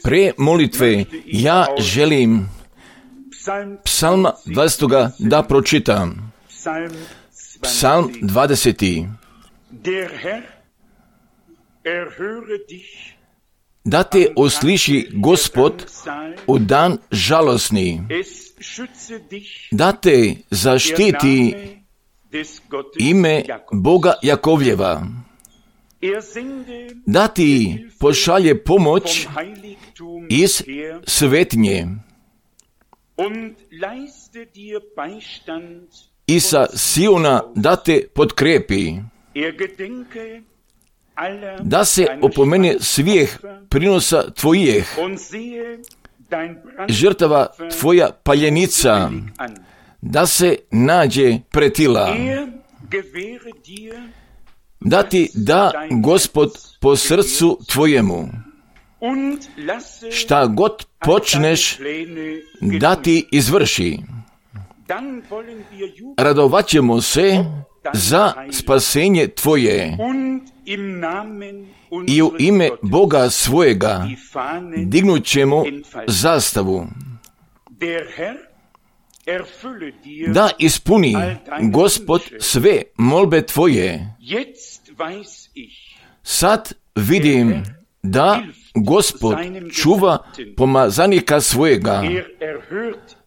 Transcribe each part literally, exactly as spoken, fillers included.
Pre molitve ja želim Psalma dvadeset da pročitam. Psalm dvadeseti. Da te osliši Gospod u dan žalosni, da te zaštiti ime Boga Jakovljeva, da ti pošalje pomoć iz svetinje i sa Siona da te potkrepi, da se opomene svih prinosa tvojih, žrtava tvoja paljenica, da se nađe pretila, da ti da Gospod po srcu tvojemu, šta god počneš da ti izvrši. Radovat ćemo se za spasenje tvoje i u ime Boga svojega dignut ćemo zastavu. Da ispuni Gospod sve molbe tvoje. Sad vidim da Gospod čuva pomazanika svojega,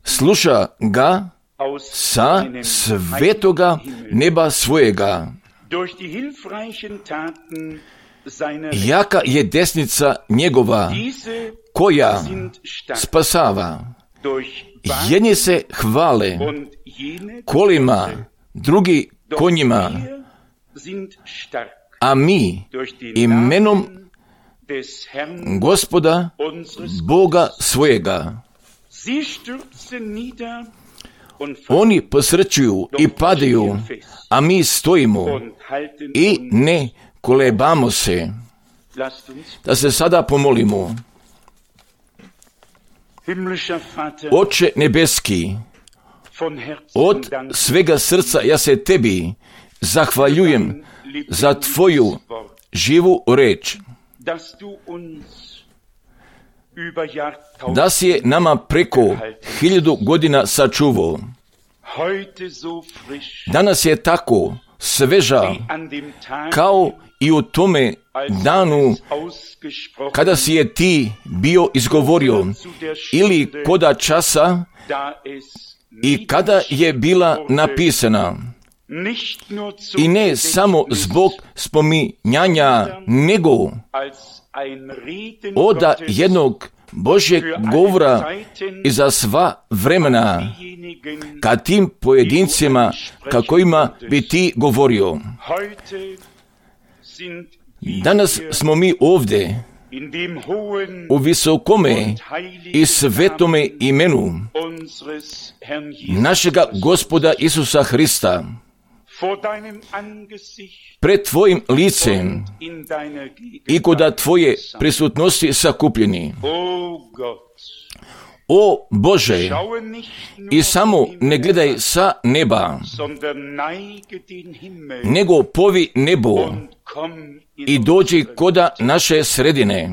sluša ga sa svetoga neba svojega. Jaka je desnica njegova, koja spasava. Jedni se hvale kolima, drugi konjima, a mi imenom Gospoda Boga svojega. Oni posrćuju i padaju, a mi stojimo i ne kolebamo se. Da se sada pomolimo. Oče nebeski, od svega srca ja se tebi zahvaljujem za tvoju živu reč, da si je nama preko hiljadu godina sačuvao. Danas je tako sveža kao i u tome danu kada si je ti bio izgovorio, ili koda časa i kada je bila napisana. I ne samo zbog spominjanja, nego oda jednog Božjeg govora i za sva vremena ka tim pojedincima kakvima bi ti govorio. Danas smo mi ovdje u visokome i svetome imenu našega Gospoda Isusa Hrista, pred tvojim licem i kod tvoje prisutnosti sakupljeni. O Bože, i samo ne gledaj sa neba, nego povi nebo i dođi koda naše sredine.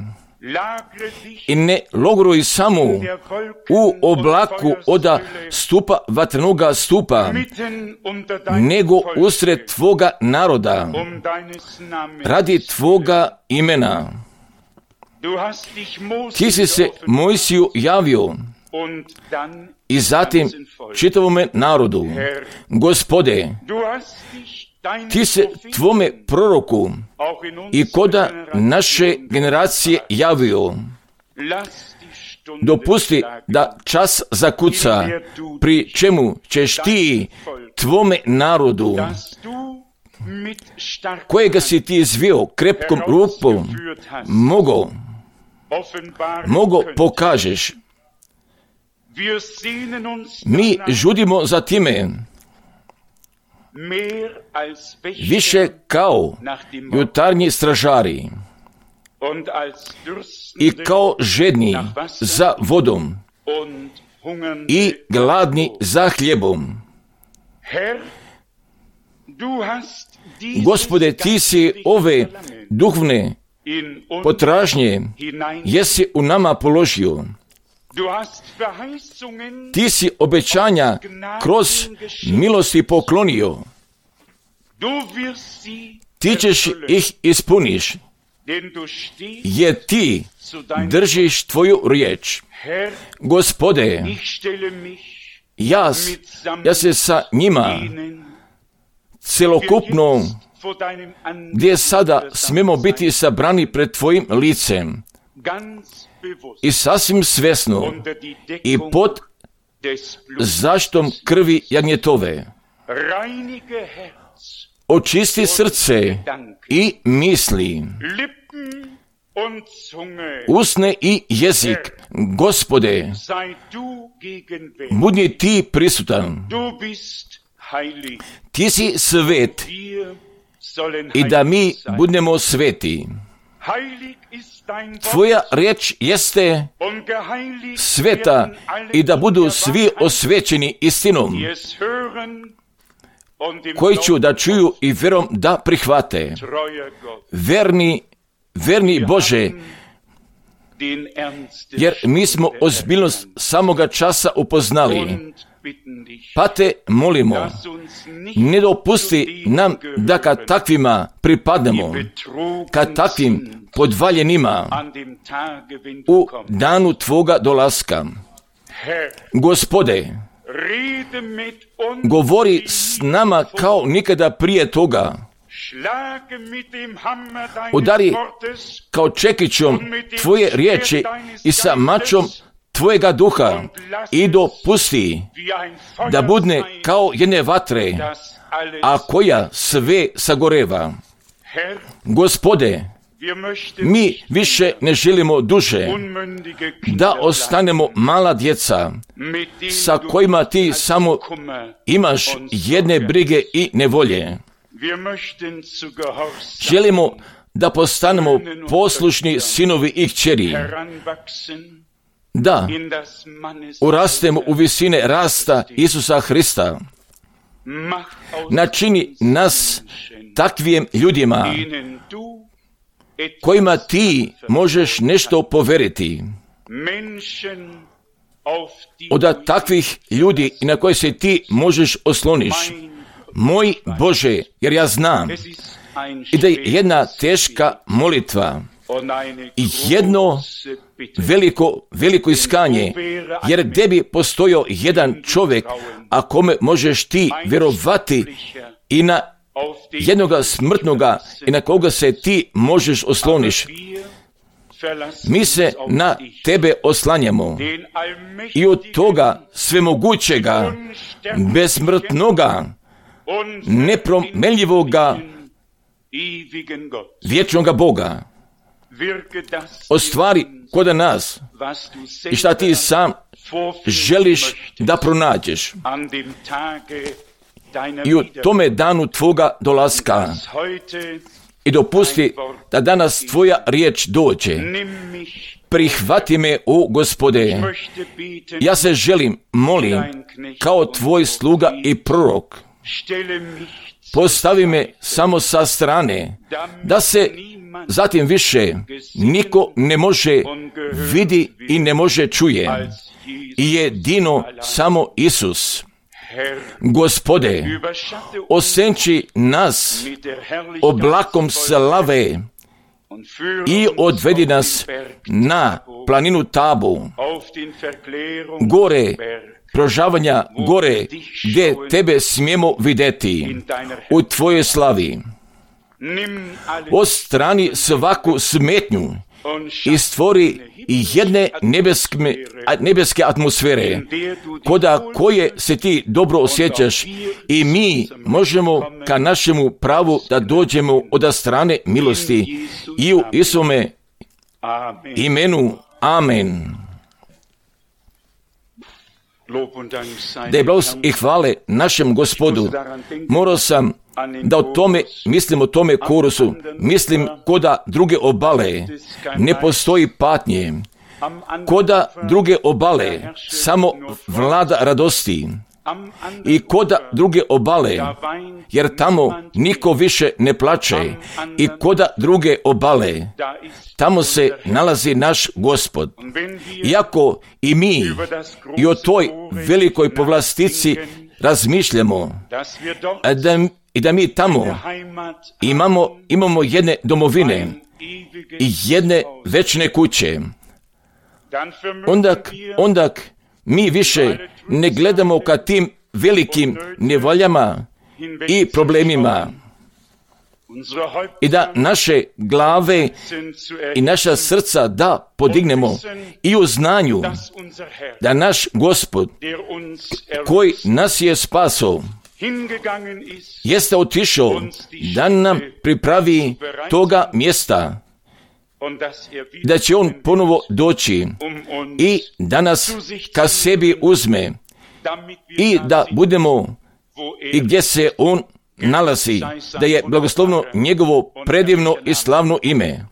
I ne logoruj samo u oblaku oda stupa vatrenoga stupa, nego usred tvoga naroda, radi tvoga imena. Ti si se Mojsiju javio i zatim čitavome narodu. Gospode, ti se tvome proroku i koda naše generacije javio. Dopusti da čas zakuca, pri čemu ćeš ti tvome narodu, kojega si ti izvio krepkom rukom, mogo, mogo pokažeš. Mi žudimo za time, više kao jutarnji stražari i kao žedni za vodom i gladni za hljebom. Gospode, ti si ove duhovne potražnje jesi u nama položio. Ti si obećanja kroz milosti poklonio. Ti ćeš ih ispuniš, jer ti držiš tvoju riječ. Gospode, ja, ja se sa njima celokupno, gdje sada smemo biti sabrani pred tvojim licem, i sasvim svjesno i pod zaštitom krvi jagnjetove, očisti srce i misli, usne i jezik. Gospode, budi ti prisutan. Ti si svet i da mi budemo sveti. Tvoja riječ jeste sveta i da budu svi osvećeni istinom, koji ću da čuju i vjerom da prihvate. Verni, verni Bože, jer mi smo ozbiljnost samoga časa upoznali. Pa te molimo, ne dopusti nam da kad takvima pripadnemo, kad takvim podvaljenima u danu tvoga dolaska. Gospode, govori s nama kao nikada prije toga. Udari kao čekićom tvoje riječi i sa mačom tvojega duha i dopusti da budne kao jedne vatre, a koja sve sagoreva. Gospode, mi više ne želimo duže da ostanemo mala djeca sa kojima ti samo imaš jedne brige i nevolje. Želimo da postanemo poslušni sinovi i kćeri, da urastemo u visine rasta Isusa Hrista. Načini nas takvim ljudima kojima ti možeš nešto poveriti. Od takvih ljudi na koje se ti možeš osloniš. Moj Bože, jer ja znam i da je jedna teška molitva i jedno veliko, veliko iskanje, jer gdje bi postojao jedan čovjek, a kome možeš ti vjerovati i na jednoga smrtnoga i na koga se ti možeš osloniš. Mi se na tebe oslanjamo i od toga svemogućega, besmrtnoga, nepromenljivoga, vječnoga Boga ostvari kod nas i šta ti sam želiš da pronađeš. I u tome danu tvoga dolaska i dopusti da danas tvoja riječ dođe. Prihvati me, o Gospode. Ja se želim, molim, kao tvoj sluga i prorok. Postavi me samo sa strane, da se zatim više niko ne može vidi i ne može čuje. I jedino samo Isus. Gospode, osenči nas oblakom slave i odvedi nas na planinu Tabu, gore prožavanja, gore gdje tebe smijemo vidjeti u tvojoj slavi. Odstrani svaku smetnju i stvori jedne nebeske, nebeske atmosfere, koda koje se ti dobro osjećaš i mi možemo ka našemu pravu da dođemo od strane milosti i u Isome imenu. Amen. Da je blagost i hvale našem Gospodu. Morao sam da o tome, mislim o tome korusu, mislim koda druge obale ne postoji patnje, koda druge obale samo vlada radosti, i koda druge obale, jer tamo niko više ne plače, i koda druge obale, tamo se nalazi naš Gospod. Iako i mi i o toj velikoj povlastici razmišljamo, da, i da mi tamo imamo, imamo jedne domovine i jedne večne kuće, onda, onda mi više ne gledamo ka tim velikim nevoljama i problemima, i da naše glave i naša srca da podignemo i u znanju da naš Gospod, koji nas je spasao, jeste otišao da nam pripravi toga mjesta, da će on ponovo doći i da nas ka sebi uzme i da budemo i gdje se on nalazi, da je blagoslovno njegovo predivno i slavno ime.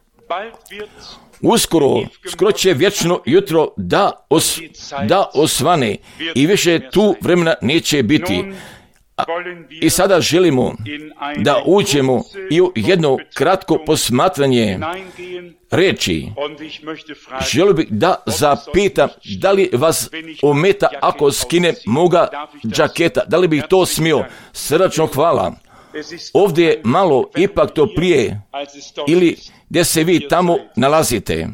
Uskoro, skoro će vječno jutro da, os, da osvane i više tu vremena neće biti. A, I sada želimo da uđemo i u jedno kratko posmatranje reči. Želio bih da zapitam da li vas ometa ako skinem moga džaketa, da li bih to smio. Srdačno hvala. Ovdje je malo ipak to prije ili gdje se vi tamo nalazite.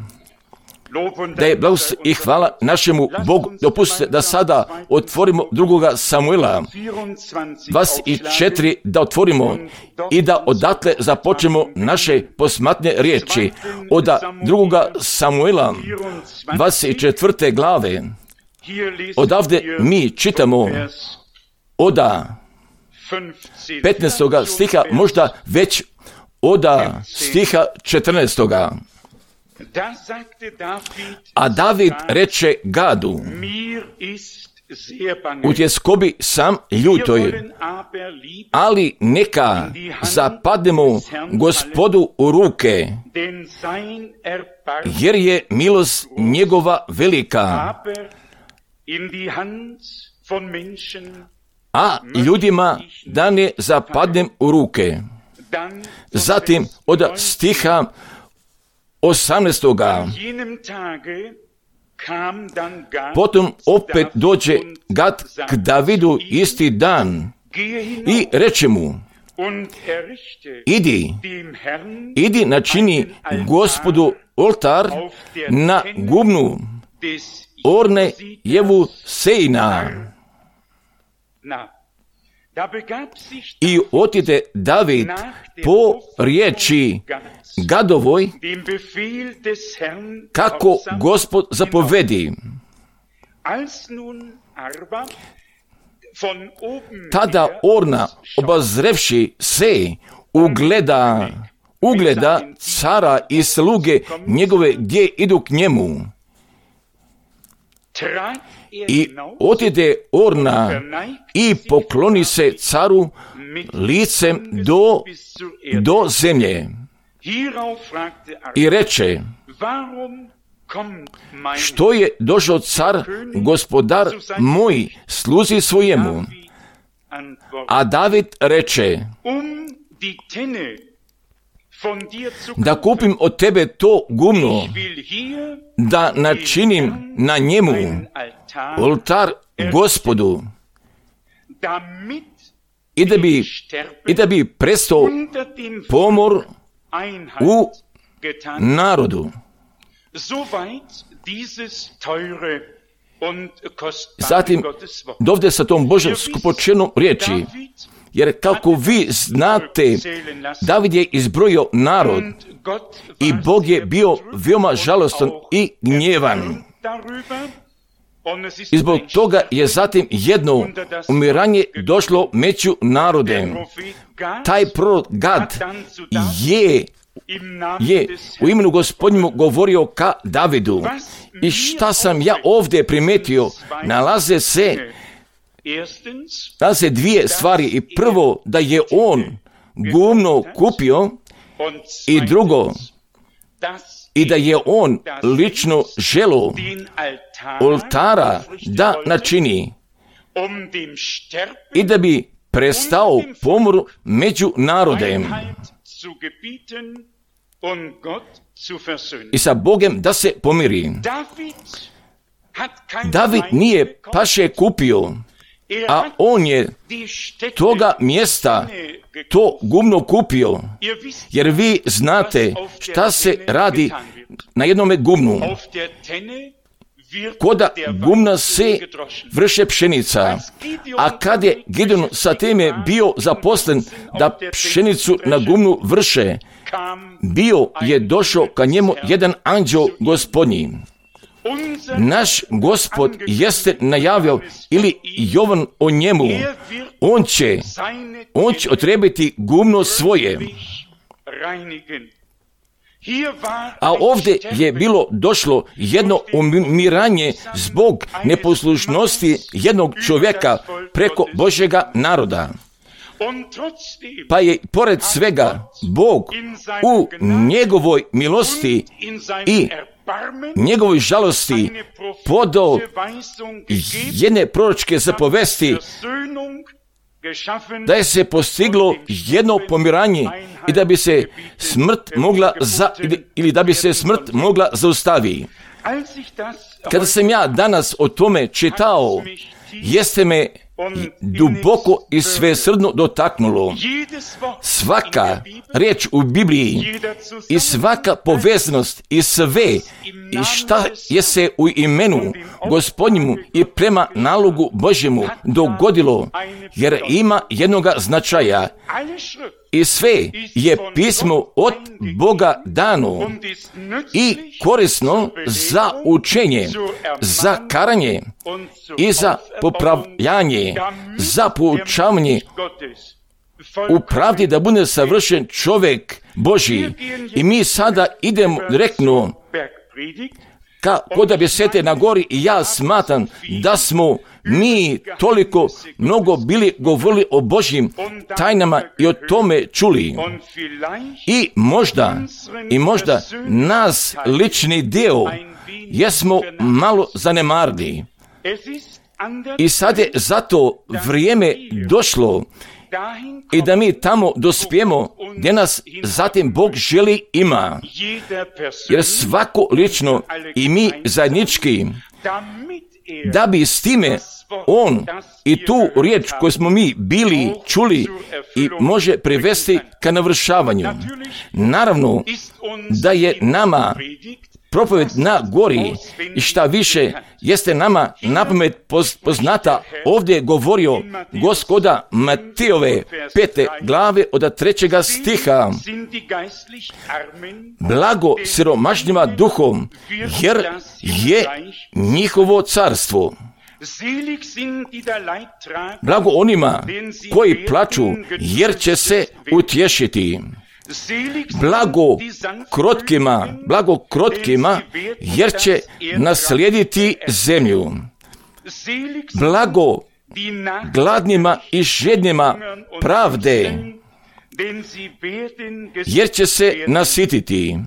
Da je blagoslov i hvala našemu Bogu. Dopustite da sada otvorimo drugoga Samuela dvadeset četiri, da otvorimo i da odatle započnemo naše posmatne riječi. Od drugoga Samuela dvadeset četvrte glave. Odavde mi čitamo od petnaestoga stiha, možda već od stiha četrnaestoga. A David reče Gadu, u tjeskobi sam ljutoj, ali neka zapadnemo Gospodu u ruke, jer je milost njegova velika, a ljudima da ne zapadnem u ruke. Zatim od stiha osamnaestoga. Potom opet dođe Gad k Davidu isti dan i reče mu, idi, idi načini Gospodu oltar na gubnu Orne Jevu Sejna. I otide David po riječi Gadovoj, kako Gospod zapovedi. Tada Orna, obazrevši se, ugleda, ugleda cara i sluge njegove gdje idu k njemu. I otide Orna i pokloni se caru licem do, do zemlje. I reče, što je došao car, gospodar moj, sluzi svojemu. A David reče, da kupim od tebe to gumno, da načinim na njemu oltar Gospodu, i da bi, i da bi prestao pomor u narodu. Zatim, dovde sa tom Božom skupočenom riječi, jer kako vi znate, David je izbrojio narod i Bog je bio veoma žalostan i gnjevan. I zbog toga je zatim jedno umiranje došlo među narodem. Taj prorok Gad je, je u imenu Gospodnjemu govorio ka Davidu. I šta sam ja ovdje primetio, nalaze se, nalaze dvije stvari. I prvo, da je on gumno kupio, i drugo, i da je on lično želo oltara da načini. i da bi prestao pomor među narodem i sa Bogom da se pomiri. David nije paše kupio, a on je toga mjesta to gumno kupio, jer vi znate šta se radi na jednome gumnu. Koda gumna se vrše pšenica, a kad je Gideon sa time bio zaposlen da pšenicu na gumnu vrše, bio je došao ka njemu jedan anđeo gospodnji. Naš Gospod jeste najavio, ili Jovan o njemu, on će, on će otrebiti gumno svoje. A ovdje je bilo došlo jedno umiranje zbog neposlušnosti jednog čovjeka preko Božjega naroda. Pa je pored svega Bog u njegovoj milosti i njegovoj žalosti podao jedne proročke zapovesti da je se postiglo jedno pomiranje i da bi se smrt mogla za, ili da bi se smrt mogla zaustaviti. Kada sam ja danas o tome čitao, jeste me duboko i svesrdno dotaknulo. Svaka riječ u Bibliji i svaka povezanost i sve i šta je se u imenu Gospodnjemu i prema nalogu Božjemu dogodilo, jer ima jednoga značaja. I sve je pismo od Boga dano i korisno za učenje, za karanje i za popravljanje, za poučavanje u pravdi da bude savršen čovjek Božji. I mi sada idemo direktno ka koda besete na gori i ja smatram da smo mi toliko mnogo bili govorili o Božjim tajnama i o tome čuli. I možda, i možda nas lični dio jesmo malo zanemarili. I sad je zato vrijeme došlo i da mi tamo dospijemo gdje nas zatim Bog želi ima. Jer svako lično i mi zajednički, da bi s time on i tu riječ koju smo mi bili čuli i može privesti ka navršavanju. Naravno da je nama propoved na gori i šta više jeste nama napamet poznata. Ovdje je govorio Gospoda Matejove pete glave od trećega stiha. Blago siromašnjima duhom, jer je njihovo carstvo. Blago onima koji plaču, jer će se utješiti. Blago krotkima, blago krotkima, jer će naslijediti zemlju. Blago gladnima i žednima pravde, jer će se nasititi.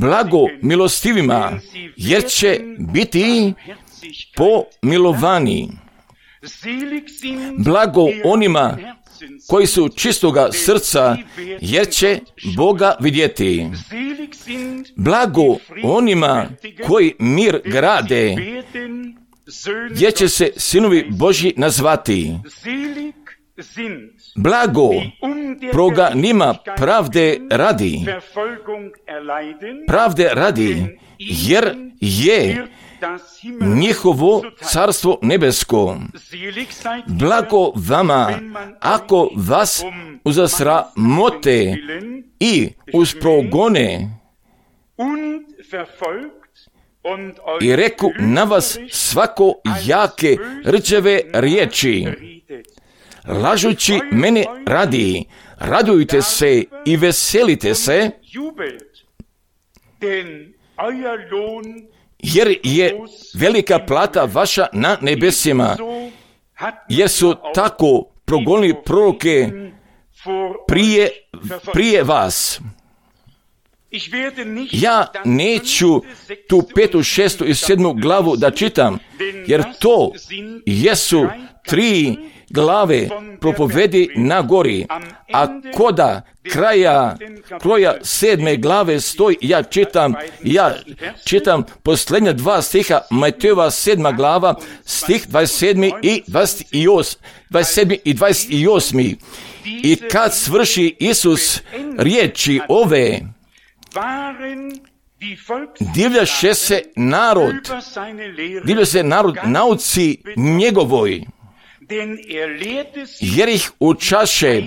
Blago milostivima, jer će biti pomilovani. Blago onima koji su čistoga srca, jer će Boga vidjeti. Blago onima koji mir grade, jer će se sinovi Božji nazvati. Blago proganima pravde radi, pravde radi, jer je njihovo carstvo nebesko. Blago vama, ako vas uzasramote i usprogone i reku na vas svako jake rčeve riječi, lažući mene radi, radujte se i veselite se, jer je velika plata vaša na nebesima, jer su tako progonili proroke prije, prije vas. Ja neću tu petu, šestu i sedmu glavu da čitam, jer to jesu tri glave propovedi na gori, a koda kraja kroja sedme glave stoji, ja čitam, ja čitam posljednja dva stiha, Matejova sedma glava, stih dvadeset sedmi i dvadeset osmi, dvadeset sedmi i dvadeset osmi. I kad svrši Isus riječi ove, divljaše se narod, divlja se narod nauci njegovoj, jer ih učaše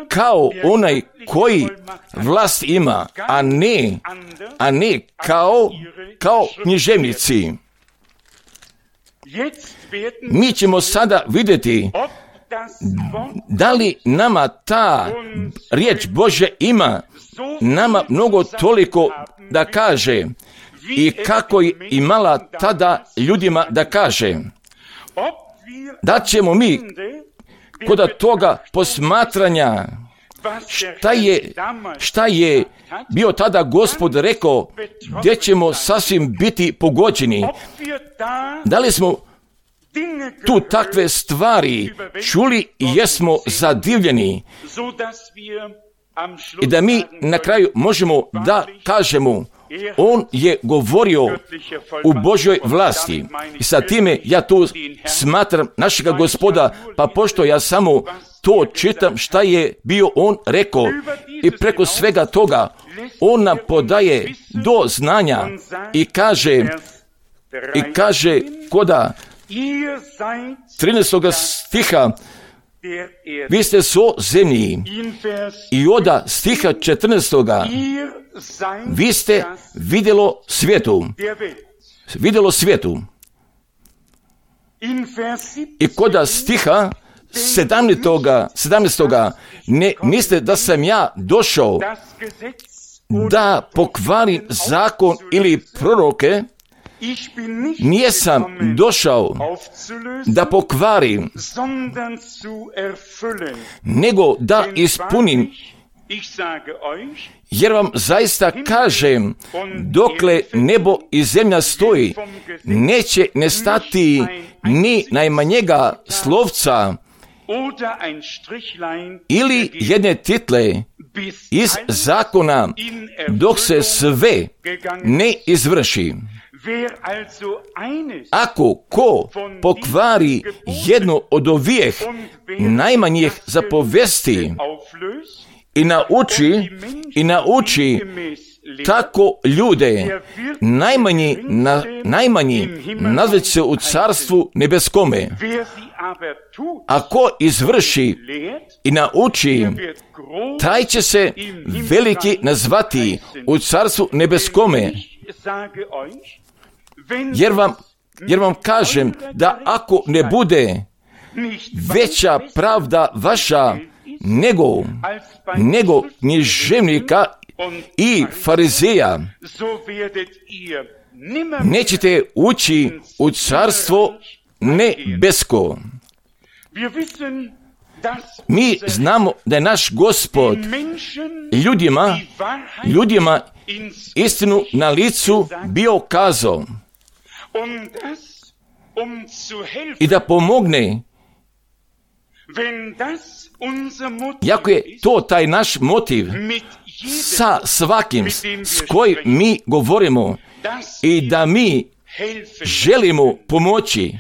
kao onaj koji vlast ima, a ne, a ne kao, kao književnici. Mi ćemo sada vidjeti da li nama ta riječ Božja ima nama mnogo toliko da kaže i kako je imala tada ljudima da kaže. Da ćemo mi kod toga posmatranja šta je, šta je bio tada Gospod rekao, gdje ćemo sasvim biti pogođeni. Da li smo tu takve stvari čuli i jesmo zadivljeni i da mi na kraju možemo da kažemo, on je govorio u Božjoj vlasti. I sa time ja tu smatram našega Gospoda, pa pošto ja samo to čitam šta je bio on rekao i preko svega toga on nam podaje do znanja i kaže i kaže koda trinaestog stiha, vi ste so zemlji, i oda stiha četrnaestog vi ste vidjelo svijetu, vidjelo svijetu. I koda stiha sedamnaestog ne mislite da sam ja došao da pokvarim zakon ili proroke, nijesam došao da pokvarim, nego da ispunim. Jer vam zaista kažem, dokle nebo i zemlja stoji, neće nestati ni najmanjega slovca ili jedne title iz zakona, dok se sve ne izvrši. Ako ko pokvari jedno od ovih najmanjih zapovesti i nauči, i nauči tako ljude, najmanji, na, najmanji nazvat se u carstvu nebeskome. Ako izvrši i nauči, taj će se veliki nazvati u carstvu nebeskome. Jer vam, jer vam kažem da ako ne bude veća pravda vaša nego, nego književnika i farizeja, nećete ući u carstvo nebesko. Mi znamo da je naš Gospod ljudima, ljudima istinu na licu bio kazao i da pomogne. Jako je to taj naš motiv sa svakim s kojim mi govorimo i da mi želimo pomoći,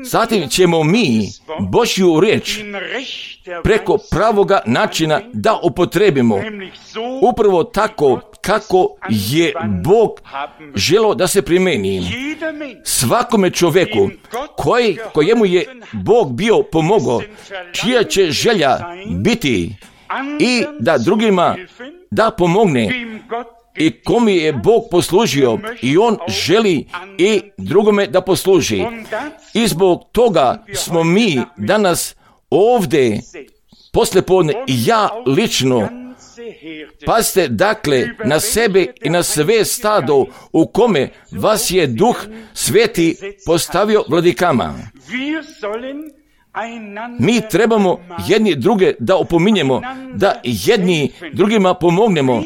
zatim ćemo mi Božju riječ preko pravoga načina da upotrebimo, upravo tako kako je Bog želio da se primeni. Svakome čovjeku koji, kojemu je Bog bio pomogao, čija će želja biti i da drugima da pomogne, i komu je Bog poslužio i on želi i drugome da posluži. I zbog toga smo mi danas ovdje poslijepodne i ja lično. Pazite dakle na sebe i na sve stado u kome vas je Duh Sveti postavio vladikama. Mi trebamo jedni druge da opominjemo, da jedni drugima pomognemo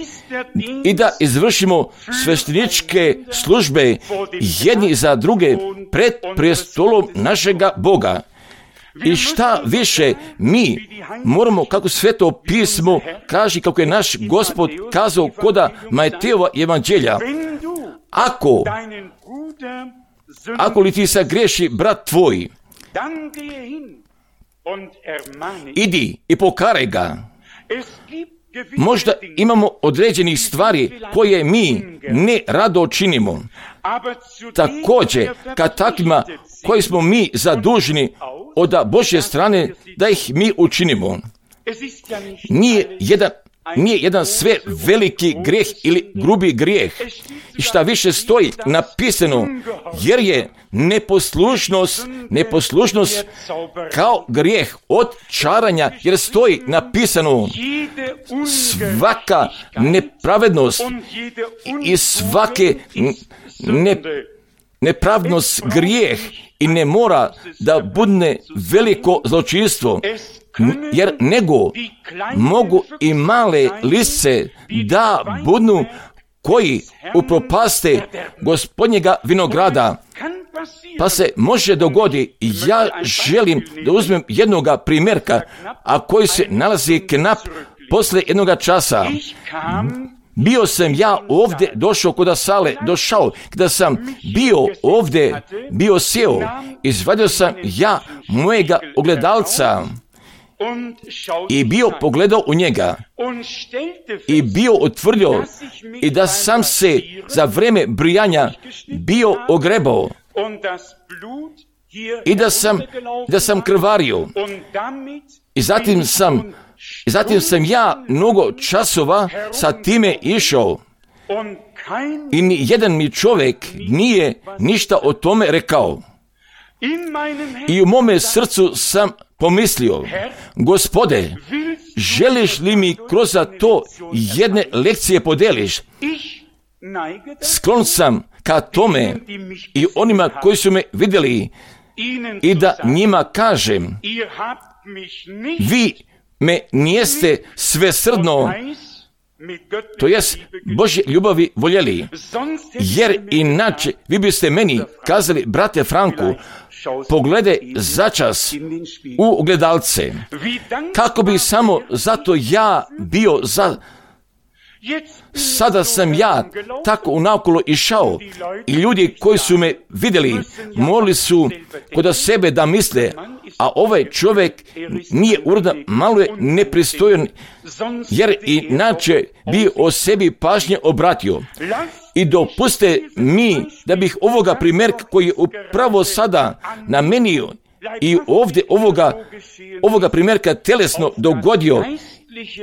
i da izvršimo svešteničke službe jedni za druge pred prestolom našega Boga. I šta više, mi moramo, kako Sveto pismo kaže, kako je naš Gospod kazao koda Matejova evanđelja, ako, ako li ti sagriješi brat tvoj, idi i pokaraj ga. Možda imamo određenih stvari koje mi ne rado činimo. Također, kad takvima koji smo mi zaduženi od Božje strane, da ih mi učinimo. Nije jedan, nije jedan sve veliki grijeh ili grubi grijeh. I šta više stoji napisano, jer je neposlušnost, neposlušnost kao grijeh od čaranja, jer stoji napisano svaka nepravednost i svake ne, nepravdnost grijeh i ne mora da bude veliko zločinstvo, jer nego mogu i male lisce da budu koji upropaste Gospodnjega vinograda. Pa se može dogoditi, ja želim da uzmem jednoga primjerka, a koji se nalazi knap posle jednoga časa. Bio sam ja ovdje došao kod sale, došao, kada sam bio ovdje, bio sjeo, izvadio sam ja mojega ogledalca i bio pogledao u njega i bio utvrdio i da sam se za vrijeme brijanja bio ogrebao i da sam, da sam krvario i zatim sam, i zatim sam ja mnogo časova sa time išao i ni jedan mi čovjek nije ništa o tome rekao. I u mome srcu sam pomislio, Gospode, želiš li mi kroz to jedne lekcije podeliš? Sklon sam ka tome i onima koji su me vidjeli i da njima kažem, vi me nijeste svesrdno, to jest Božje ljubavi voljeli, jer inače vi biste meni kazali, brate Franku, pogledaj začas u ogledalce, kako bi samo zato ja bio za... Sada sam ja tako unaokolo išao i ljudi koji su me vidjeli morali su kod sebe da misle, a ovaj čovjek nije uredan, malo je nepristojan, jer inače bi o sebi pažnje obratio. I dopuste mi da bih ovoga primjerka koji je upravo sada namenio i ovdje ovoga, ovoga primjerka telesno dogodio,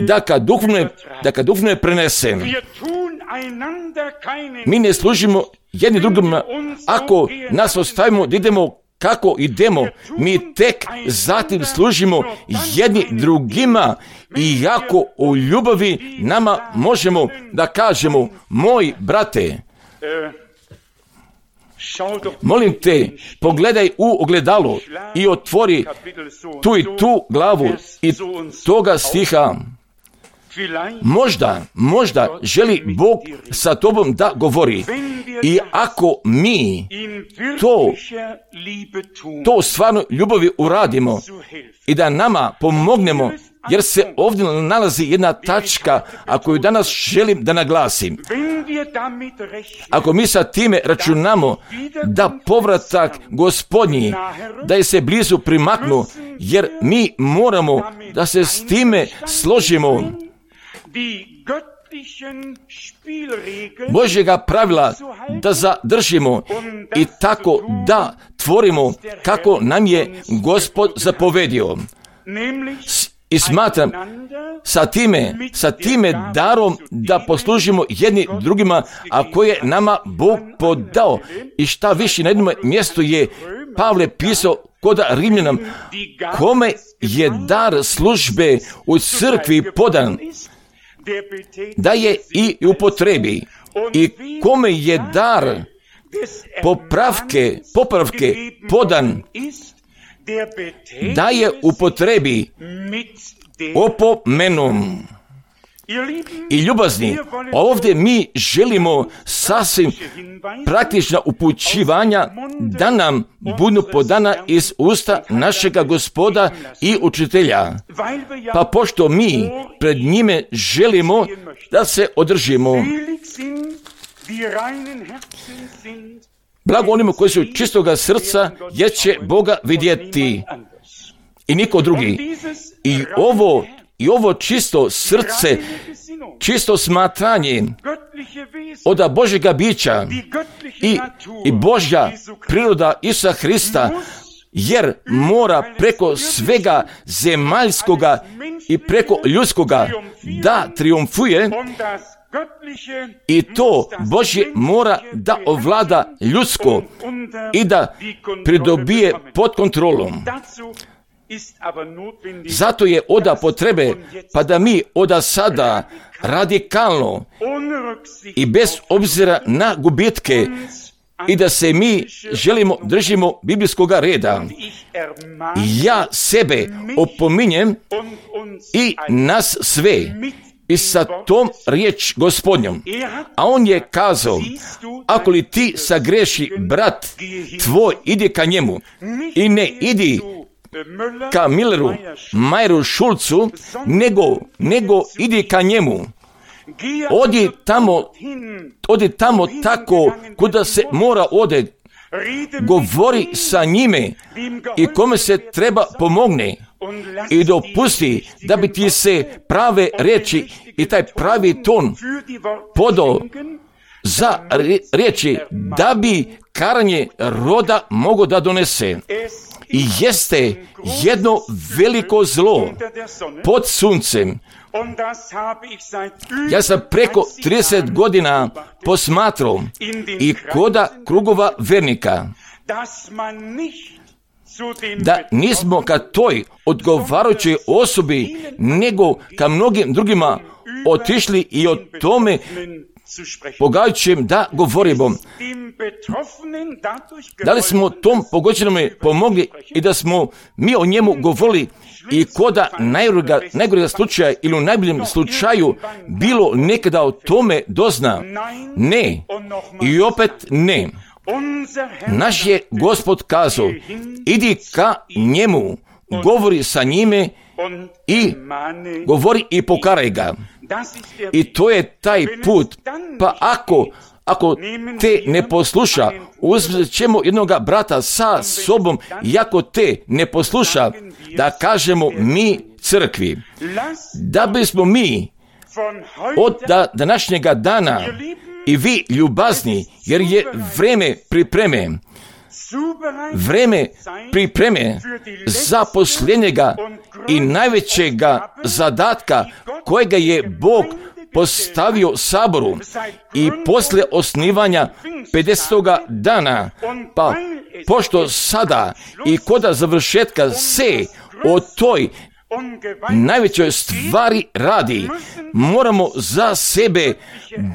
da kad duhovno, da kad duhovno prenesem. Mi ne služimo jedni drugima, ako nas ostavimo da idemo kako idemo, mi tek zatim služimo jedni drugima i jako u ljubavi nama možemo da kažemo, moj brate, molim te, pogledaj u ogledalo i otvori tu i tu glavu i toga stiha. Možda, možda želi Bog sa tobom da govori. I ako mi to, to stvarno ljubavi uradimo i da nama pomognemo, jer se ovdje nalazi jedna tačka, a koju danas želim da naglasim. Ako mi sa time računamo da povratak Gospodnji, da je se blizu primaknu, jer mi moramo da se s time složimo. Božjega pravila da zadržimo i tako da tvorimo kako nam je Gospod zapovedio. I smatram sa time, sa time darom da poslužimo jedni drugima, a koje nama Bog podao. I šta više, na jednom mjestu je Pavle pisao kod Rimljanam, kome je dar službe u crkvi podan, da je i upotrebi, i kome je dar popravke, popravke podan, da je upotrebi opomenom. I ljubazni, ovdje mi želimo sasvim praktična upućivanja da nam budu podana iz usta našega Gospoda i učitelja. Pa pošto mi pred njime želimo da se održimo. Blago onima koji su čistoga srca, jer će Boga vidjeti i niko drugi. I ovo I ovo čisto srce, čisto smatranje od Božjega bića i, i Božja priroda Isusa Hrista, jer mora preko svega zemaljskoga i preko ljudskoga da triumfuje, i to Božje mora da ovlada ljudsko i da pridobije pod kontrolom. Zato je oda potrebe, pa da mi oda sada radikalno i bez obzira na gubitke i da se mi želimo držimo biblijskoga reda. Ja sebe opominjem i nas sve i sa tom riječ Gospodnjom. A on je kazao, ako li ti sagreši brat tvoj, idi ka njemu i ne idi ka Milleru, Majeru, Šulcu, nego, nego idi ka njemu. Odi tamo, odi tamo tako kuda se mora ode. Govori sa njime i kome se treba pomogne i dopusti da bi ti se prave riječi i taj pravi ton podao za riječi da bi karanje roda mogo da donese. I jeste jedno veliko zlo pod suncem. Ja sam preko trideset godina posmatrao i koda krugova vernika, da nismo ka toj odgovarajućoj osobi, nego ka mnogim drugima otišli i o tome pogađajućem da govorimo. Da li smo tom pogođenome pomogli i da smo mi o njemu govorili i koda najgorega, najgorega slučaja ili u najboljem slučaju bilo nekada o tome dozna? Ne. I opet ne. Naš je Gospod kazao, idi ka njemu, govori sa njime i govori i pokaraj ga. I to je taj put. Pa ako, ako te ne posluša, uzet ćemo jednoga brata sa sobom, i ako te ne posluša, da kažemo mi crkvi, da bismo mi od današnjega dana i vi ljubazni, jer je vreme pripreme, vreme pripreme za posljednjega i najvećega zadatka kojega je Bog postavio saboru i poslije osnivanja pedesetoga dana, pa pošto sada i koda završetka se o toj najvećoj stvari radi, moramo za sebe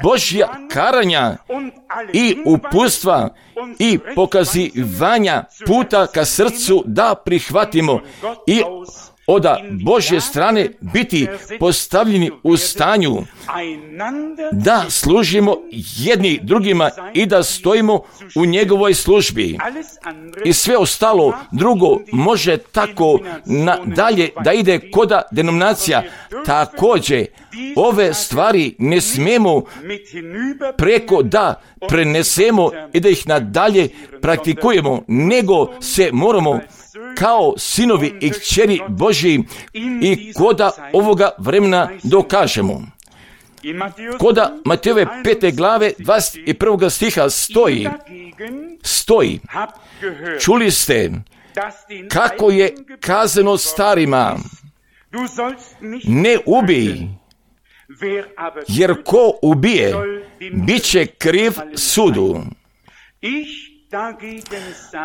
Božja karanja i uputstva i pokazivanja puta ka srcu da prihvatimo i od Božje strane biti postavljeni u stanju da služimo jedni drugima i da stojimo u njegovoj službi. I sve ostalo drugo može tako nadalje da ide koda denominacija. Također, ove stvari ne smijemo preko da prenesemo i da ih nadalje praktikujemo, nego se moramo kao sinovi i kćeri Božji i koda ovoga vremena dokažemo. Koda Matejove pete glave dvadeset prvog stiha stoji, stoji, čuli ste kako je kazano starima, ne ubij, jer ko ubije, bit će kriv sudu.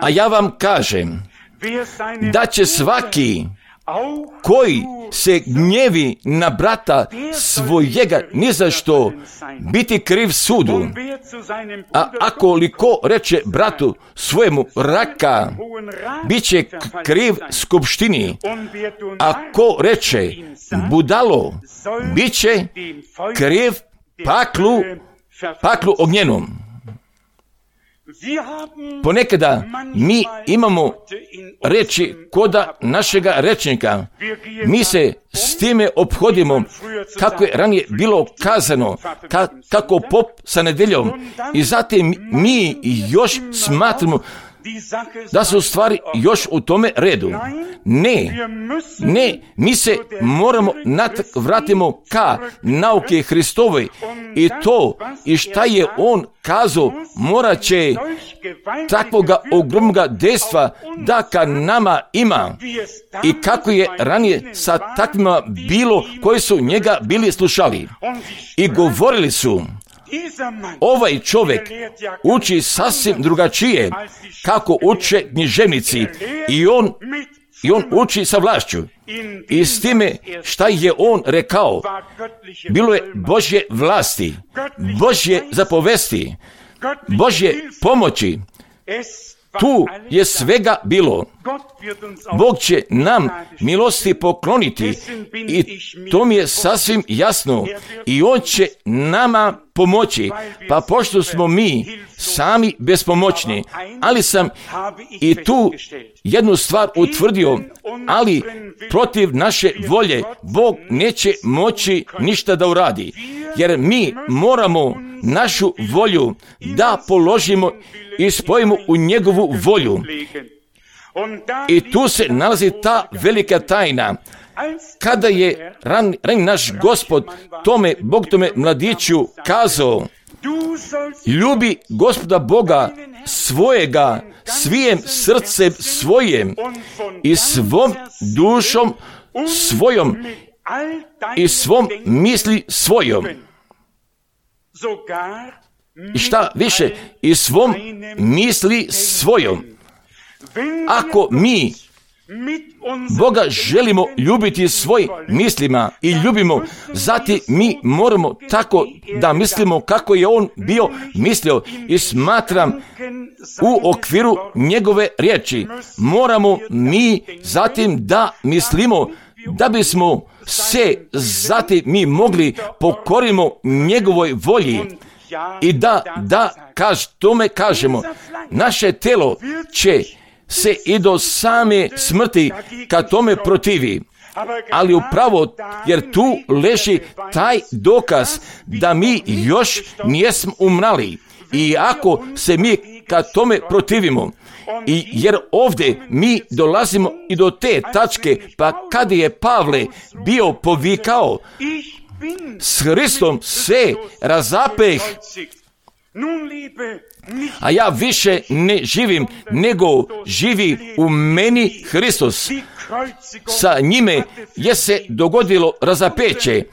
A ja vam kažem, da će svaki koji se gnjevi na brata svojega ni za što biti kriv sudu. A ako li ko reče bratu svojemu raka, bit će kriv skupštini. A ko reče budalo, bit će kriv paklu, paklu ognjenom. Ponekada mi imamo reči koda našega rečnika. Mi se s time ophodimo kako je ranije bilo kazano, ka, kako pop sa nedeljom. I zatim mi još smatramo da su stvari još u tome redu. Ne, ne, mi se moramo natak vratimo ka nauke Hristovoj i to i šta je on kazao morat će takvoga ogromnoga dejstva da ka nama ima i kako je ranije sa takvima bilo koji su njega bili slušali i govorili su ovaj čovjek uči sasvim drugačije kako uče književnici i on, i on uči sa vlašću. I s time šta je on rekao, bilo je Božje vlasti, Božje zapovesti, Božje pomoći. Tu je svega bilo. Bog će nam milosti pokloniti i to mi je sasvim jasno i on će nama pomoći, pa pošto smo mi sami bespomoćni, ali sam i tu jednu stvar utvrdio, ali protiv naše volje Bog neće moći ništa da uradi, jer mi moramo našu volju da položimo i spojimo u njegovu volju. I tu se nalazi ta velika tajna. Kada je ran, ran naš Gospod tome, Bog tome mladiću kazao, ljubi Gospoda Boga svojega svijem srcem svojim i svom dušom svojom i svom misli svojom. I šta više, i svom misli svojom. Ako mi Boga želimo ljubiti svojim mislima i ljubimo, zatim mi moramo tako da mislimo kako je on bio mislio i smatram u okviru njegove riječi. Moramo mi zatim da mislimo da bismo se zatim mi mogli pokorimo njegovoj volji i da, da kaž, tome kažemo, naše telo će se i do same smrti kad tome protivi. Ali upravo jer tu leži taj dokaz da mi još nijesmo umrali. I ako se mi kad tome protivimo, i jer ovdje mi dolazimo i do te tačke, pa kada je Pavle bio povikao, s Hristom se razapeh, a ja više ne živim, nego živi u meni Hristos. Sa njime je se dogodilo razapeće.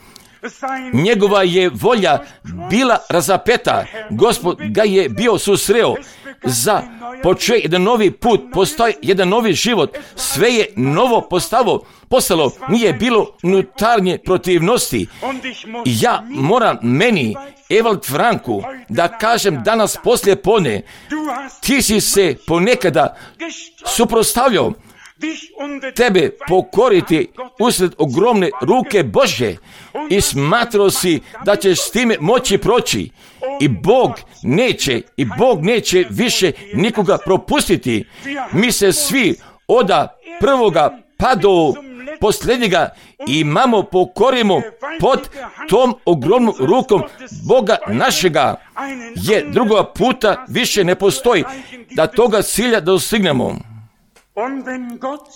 Njegova je volja bila razapeta. Gospod ga je bio susreo. Za počeo jedan novi put, postoji jedan novi život. Sve je novo postalo, postalo. Nije bilo unutarnje protivnosti. Ja moram meni, Evald Franku, da kažem danas poslije podne, ti si se ponekada suprotstavljao, tebe pokoriti usred ogromne ruke Božje i smatrao si da ćeš s time moći proći i Bog neće i Bog neće više nikoga propustiti. Mi se svi oda prvoga pa do posljednjega imamo pokorimo pod tom ogromnom rukom Boga našega, jer drugoga puta više ne postoji da toga cilja dostignemo.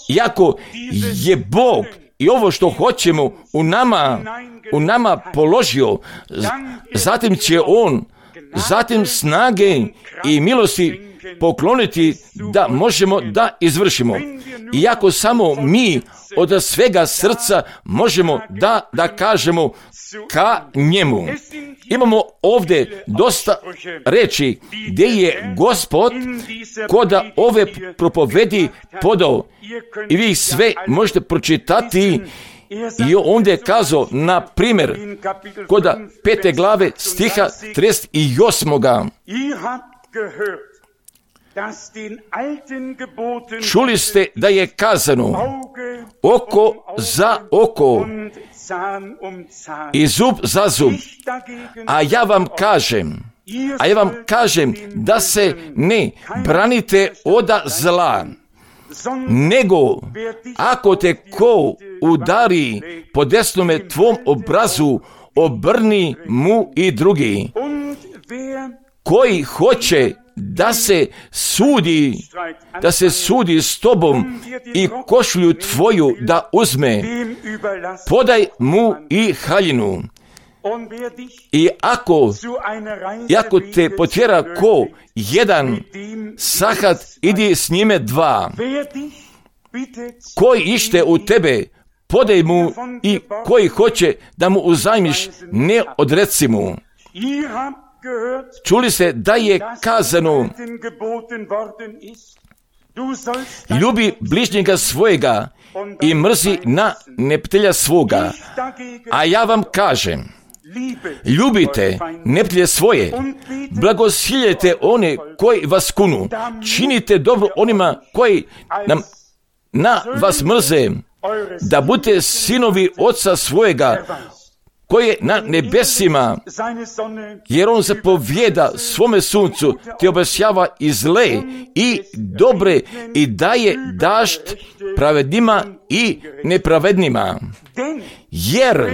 Iako je Bog i ovo što hoćemo u nama, u nama položio, zatim će On, zatim snage i milosti pokloniti da možemo da izvršimo. Iako samo mi od svega srca možemo da, da kažemo ka njemu. Imamo ovdje dosta reči gdje je Gospod koda ove propovedi podao i vi sve možete pročitati. I ovdje je kazao, na primjer, koda pete glave stiha trideset osam. Čuli ste da je kazano oko za oko i zub za zub, a ja vam kažem, a ja vam kažem da se ne branite od zla, nego ako te ko udari po desnome tvom obrazu, obrni mu i drugi. Koji hoće da se sudi, da se sudi s tobom i košulju tvoju da uzme, podaj mu i haljinu. I ako, i ako te potjera ko jedan, sahat, idi s njime dva. Koji ište u tebe, podaj mu, i koji hoće da mu uzajmiš, ne odreci mu. Čuli se da je kazano, ljubi bližnjega svojega i mrzi na neprijatelja svoga. A ja vam kažem, ljubite neprijatelje svoje, blagosiljete one koji vas kunu, činite dobro onima koji nam, na vas mrze, da budete sinovi Oca svojega, koji je na nebesima, jer on zapovjeda svome suncu, te obasjava i zle i dobre i daje dašt pravednima i nepravednima. Jer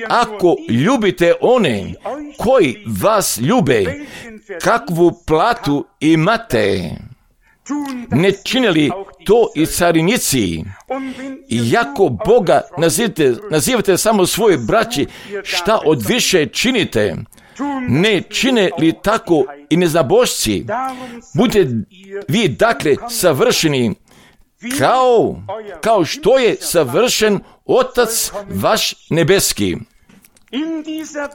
ako ljubite one koji vas ljube, kakvu platu imate? Ne činili to i carinici? Iako Boga nazivate, nazivate samo svoje braći, šta od više činite? Ne čine li tako i neznabošci? Budite vi dakle savršeni, kao, kao što je savršen Otac vaš nebeski.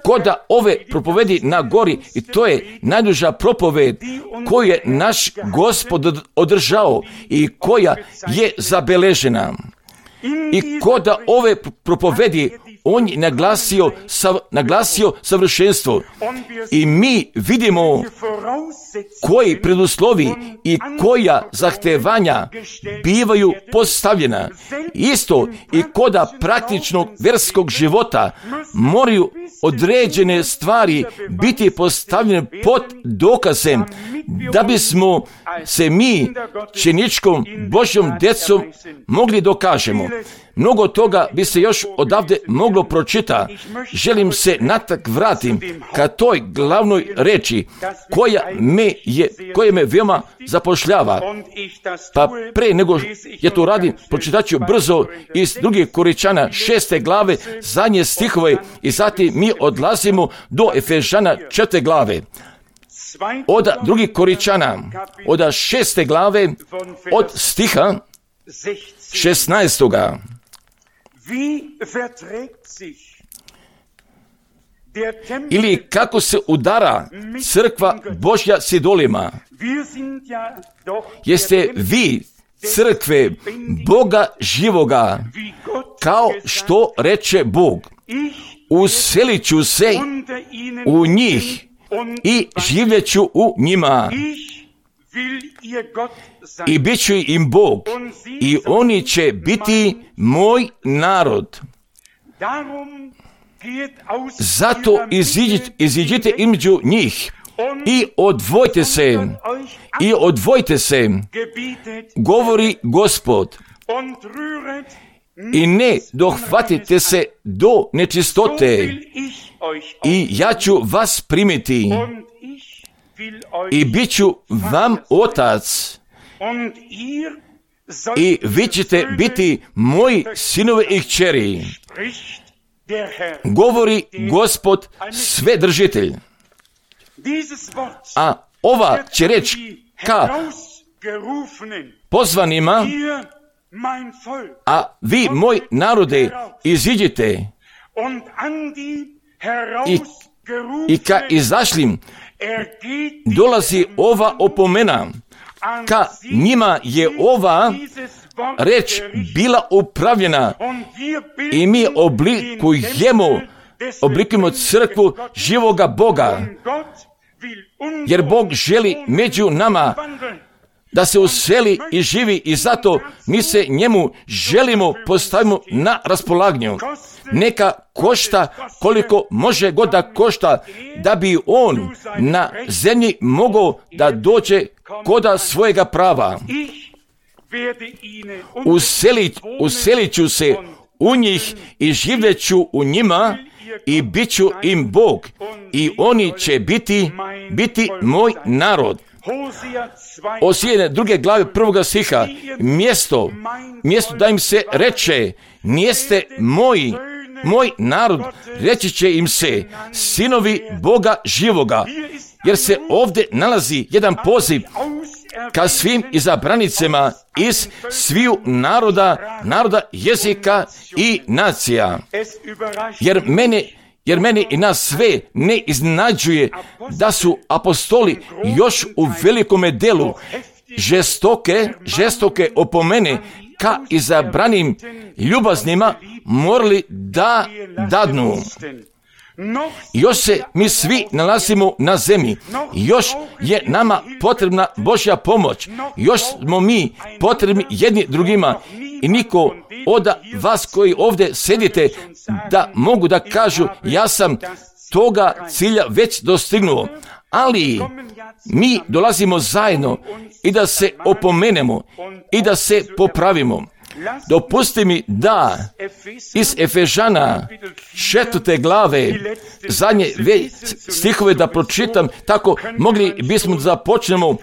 Koda ove propovedi na gori, i to je najduža propoved koju je naš Gospod održao i koja je zabeležena. I koda ove propovedi on je naglasio, sav, naglasio savršenstvo. I mi vidimo koji preduslovi i koja zahtevanja bivaju postavljena. Isto i koda praktičnog vjerskog života moraju određene stvari biti postavljene pod dokazem da bismo se mi činičkom Božjom djecom mogli dokažemo. Mnogo toga bi se još odavde moglo pročita. Želim se natak vratim ka toj glavnoj reči koja me, je, koja me veoma zapošljava. Pa pre nego je to radim, pročitat ću brzo iz drugih Koričana šeste glave, zadnje stihove, i zatim mi odlazimo do Efežana četvrte glave. Od drugih Koričana, od šeste glave, od stiha šesnaestoga. Ili kako se udara crkva Božja s idolima? Jeste vi crkve Boga živoga, kao što reče Bog, uselit ću se u njih i živjet ću u njima. I bit ću im Bog, i oni će biti moj narod. Zato iziđite, iziđite između njih i odvojte se, i odvojte se, govori Gospod, i ne dohvatite se do nečistote, i ja ću vas primiti, i bit ću vam otac, i vi ćete biti moji sinovi i kćeri, govori Gospod Svedržitelj. A ova će reći ka pozvanima, a vi, moj narode, iziđite, i, i ka izašlim dolazi ova opomena. Ka njima je ova reč bila upravljena i mi oblikujemo, oblikujemo crkvu živoga Boga, jer Bog želi među nama da se useli i živi i zato mi se njemu želimo postavimo na raspolaganju. Neka košta koliko može god da košta, da bi on na zemlji mogao da dođe koda svojega prava. Uselit, uselit ću se u njih i živjet ću u njima i bit ću im Bog i oni će biti, biti moj narod. Osije druge glave prvoga stiha, mjesto, mjesto da im se reče, nijeste moji, moj narod, reći će im se, sinovi Boga živoga, jer se ovdje nalazi jedan poziv ka svim izabranicama iz sviju naroda, naroda, jezika i nacija. Jer mene Jer meni i nas sve ne iznenađuje da su apostoli još u velikome delu žestoke, žestoke opomene ka izabranim ljubaznima morali da dadnu. Još se mi svi nalazimo na zemlji, još je nama potrebna Božja pomoć, još smo mi potrebni jedni drugima i niko od vas koji ovdje sedite da mogu da kažu ja sam toga cilja već dostignuo, ali mi dolazimo zajedno i da se opomenemo i da se popravimo. Dopusti mi da iz Efežana četvrte glave zadnje stihove da pročitam, tako mogli bismo da započnemo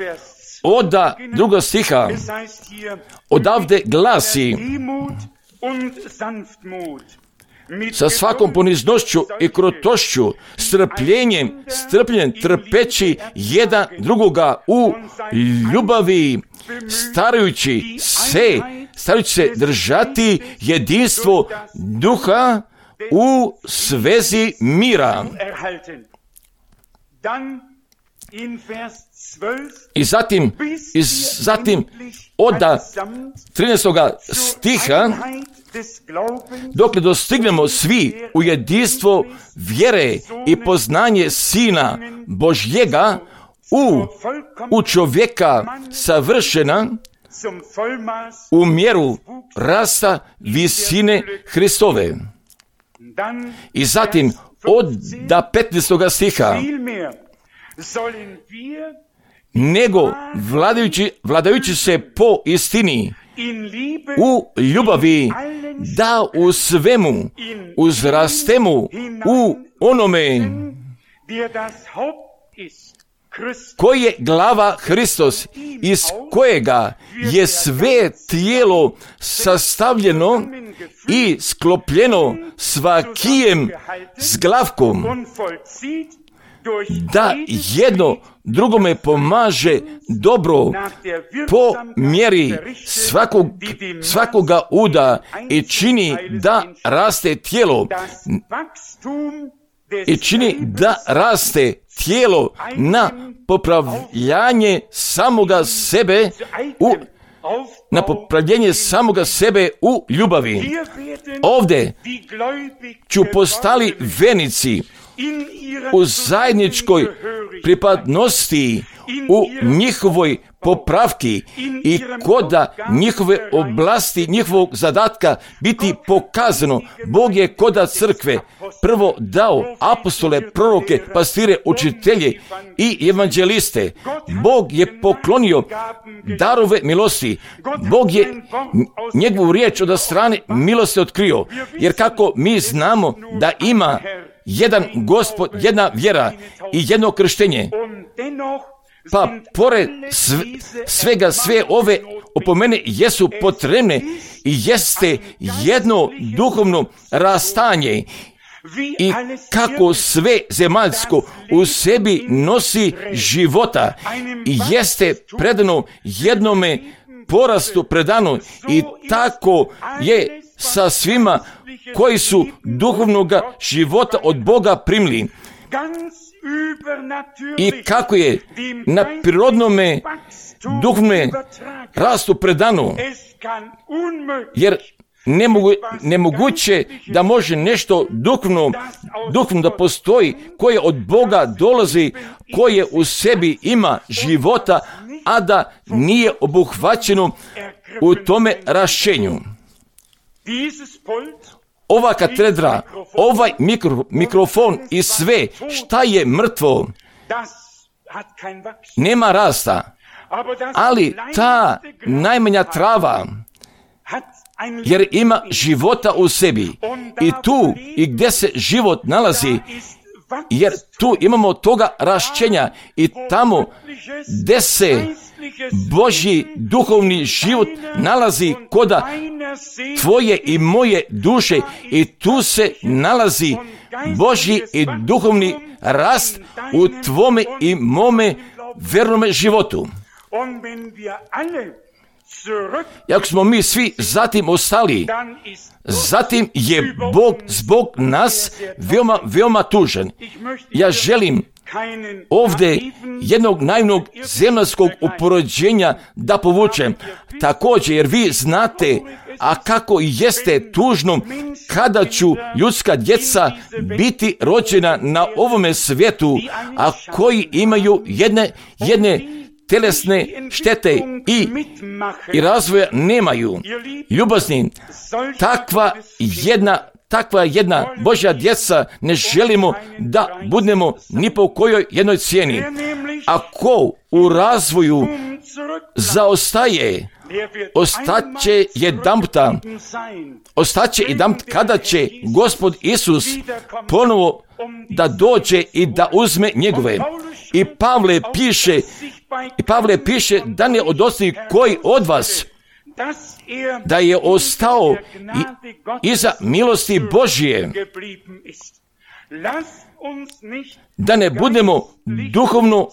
od drugog stiha. Odavde glasi: sa svakom poniznošću i krotošću, strpljenjem, strpljenjem trpeći jedan drugoga u ljubavi, starajući se, starajući se držati jedinstvo duha u svezi mira. I zatim, i zatim od trinaestog stiha, dokle dostignemo svi u jedinstvo vjere i poznanje Sina Božjega, u, u čovjeka savršena, u mjeru rasta visine Hristove. I zatim od petnaestog stiha, nego vladajući, vladajući se po istini u ljubavi, da u svemu uzrastemo u onome koji je glava Hristos, iz kojega je sve tijelo sastavljeno i sklopljeno svakijem zglavkom, da jedno drugome pomaže dobro po mjeri svakog, svakoga uda i čini da raste tijelo i čini da raste tijelo na popravljanje samoga sebe u na popravljanje samoga sebe u ljubavi. Ovdje ću postali venici u zajedničkoj pripadnosti, u njihovoj popravki i koda njihove oblasti, njihovog zadatka biti pokazano. Bog je koda crkve prvo dao apostole, proroke, pastire, učitelje i evanđeliste. Bog je poklonio darove milosti. Bog je njegovu riječ od strane milosti otkrio. Jer kako mi znamo da ima jedan Gospod, jedna vjera i jedno krštenje, pa pored sve, svega sve ove opomene jesu potrebne i jeste jedno duhovno rastanje i kako sve zemaljsko u sebi nosi života i jeste predano jednome porastu predano i tako je sa svima koji su duhovnog života od Boga primili i kako je na prirodnome duhovnome rastu predano, jer nemogu, nemoguće da može nešto duhovno, duhovno da postoji koje od Boga dolazi, koje u sebi ima života, a da nije obuhvaćeno u tome rašćenju. Ova katedra, ovaj mikro, mikrofon i sve šta je mrtvo, nema rasta, ali ta najmanja trava, jer ima života u sebi i tu i gdje se život nalazi, jer tu imamo toga rašćenja i tamo gdje se Božji duhovni život nalazi koda tvoje i moje duše i tu se nalazi Božji i duhovni rast u tvome i mome vernome životu. I ako smo mi svi zatim ostali, zatim je Bog zbog nas veoma, veoma tužan. Ja želim ovdje jednog naivnog zemaljskog uporođenja da povučem. Također, jer vi znate, a kako jeste tužno kada ću ljudska djeca biti rođena na ovome svijetu, a koji imaju jedne, jedne telesne štete i, i razvoja nemaju. Ljubazni, takva jedna Takva jedna Božja djeca ne želimo da budemo ni po kojoj jednoj cijeni. Ako u razvoju zaostaje, ostaće jedanputa, ostaće jedanput kada će Gospod Isus ponovo da dođe i da uzme njegove. I Pavle piše, i Pavle piše da ne odostaje koji od vas da je ostao iza milosti Božje, da ne budemo duhovno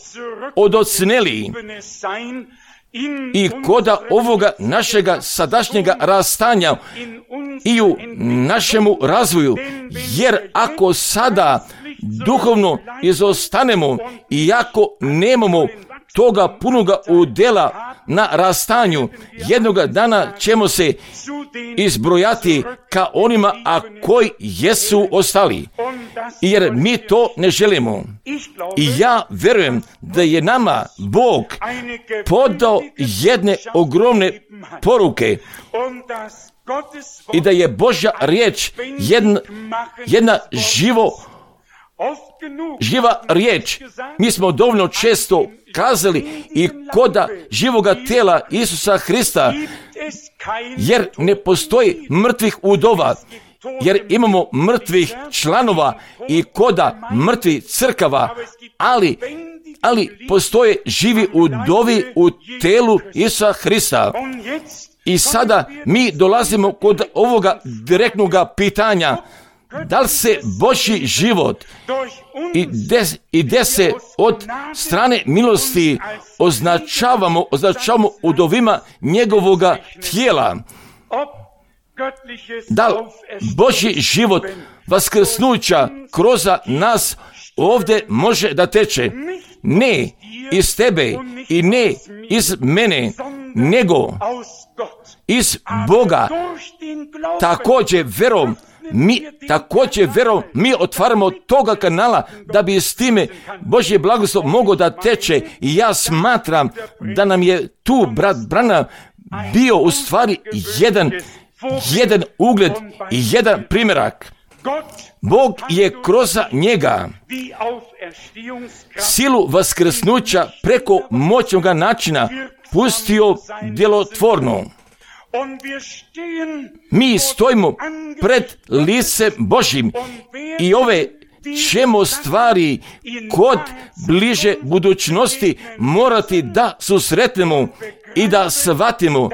odocneli i koda ovoga našega sadašnjega rastanja i u našemu razvoju, jer ako sada duhovno izostanemo i ako nemamo toga punoga udjela na rastanju, jednoga dana ćemo se izbrojati ka onima, a koji jesu ostali. Jer mi to ne želimo. I ja vjerujem da je nama Bog podao jedne ogromne poruke i da je Božja riječ jedna, jedna živo živa riječ. Mi smo dovoljno često kazali i koda živoga tela Isusa Hrista, jer ne postoji mrtvih udova, jer imamo mrtvih članova i koda mrtvih crkava, ali, ali postoje živi udovi u telu Isusa Hrista. I sada mi dolazimo kod ovoga direktnog pitanja, da li se Božji život i des, i de se od strane milosti označavamo, označavamo udovima njegovoga tijela. Da li Božji život vaskrsnuća kroz nas ovdje može da teče? Ne iz tebe i ne iz mene, nego iz Boga. Također verom, mi također verom, mi otvaramo toga kanala da bi s time Božje blagoslov mogao da teče. I ja smatram da nam je tu brat Branham bio u stvari jedan, jedan ugled i jedan primjerak. Bog je kroz njega silu vaskrsnuća preko moćnog načina pustio djelotvorno. Mi stojimo pred licem Božjim i ove ćemo stvari kod bliže budućnosti morati da susretnemo i da shvatimo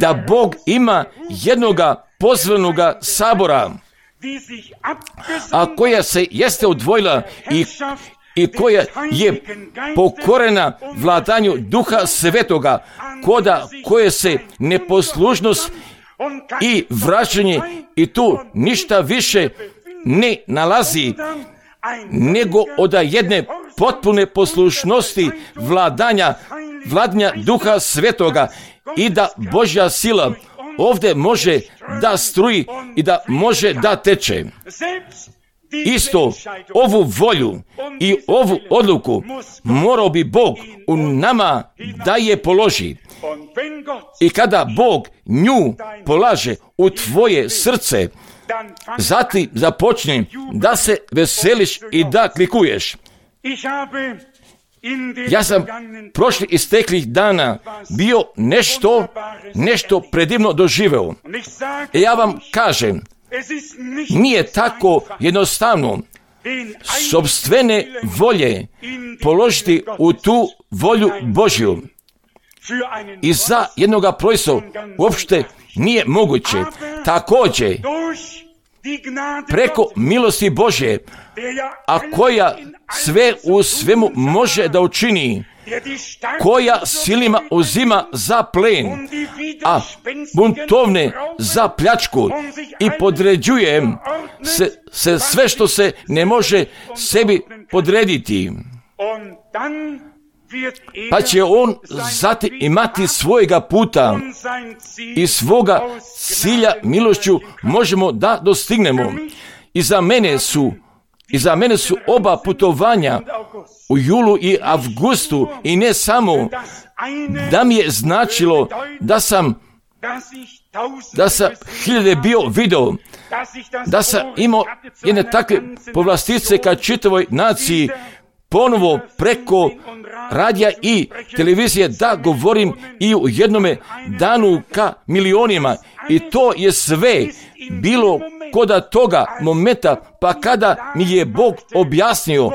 da Bog ima jednoga pozvanoga sabora, a koja se jeste odvojila i i koja je pokorena vladanju Duha Svetoga, koda koje se neposlušnost i vraćanje i tu ništa više ne nalazi nego od jedne potpune poslušnosti vladanja, vladanja Duha Svetoga i da Božja sila ovdje može da struji i da može da teče. Isto ovu volju i ovu odluku morao bi Bog u nama da je položi. I kada Bog nju polaže u tvoje srce, zatim započni da se veseliš i da klikuješ. Ja sam prošli isteklih dana bio nešto, nešto predivno doživeo. I ja vam kažem, nije tako jednostavno sopstvene volje položiti u tu volju Božju. I za jednoga proizvoda uopšte nije moguće. Također, preko milosti Božje, a koja sve u svemu može da učini, koja silima uzima za plen, a buntovne za pljačku i podređuje se, se sve što se ne može sebi podrediti. Pa će on zatim imati svojega puta i svoga cilja milošću možemo da dostignemo. I za mene su, i za mene su oba putovanja u julu i avgustu i ne samo da mi je značilo da sam da sam hiljade bio video, da sam imao jedne takve povlastice ka čitavoj naciji, ponovo preko radija i televizije da govorim i u jednome danu ka milionima. I to je sve bilo koda toga momenta, pa kada mi je Bog objasnio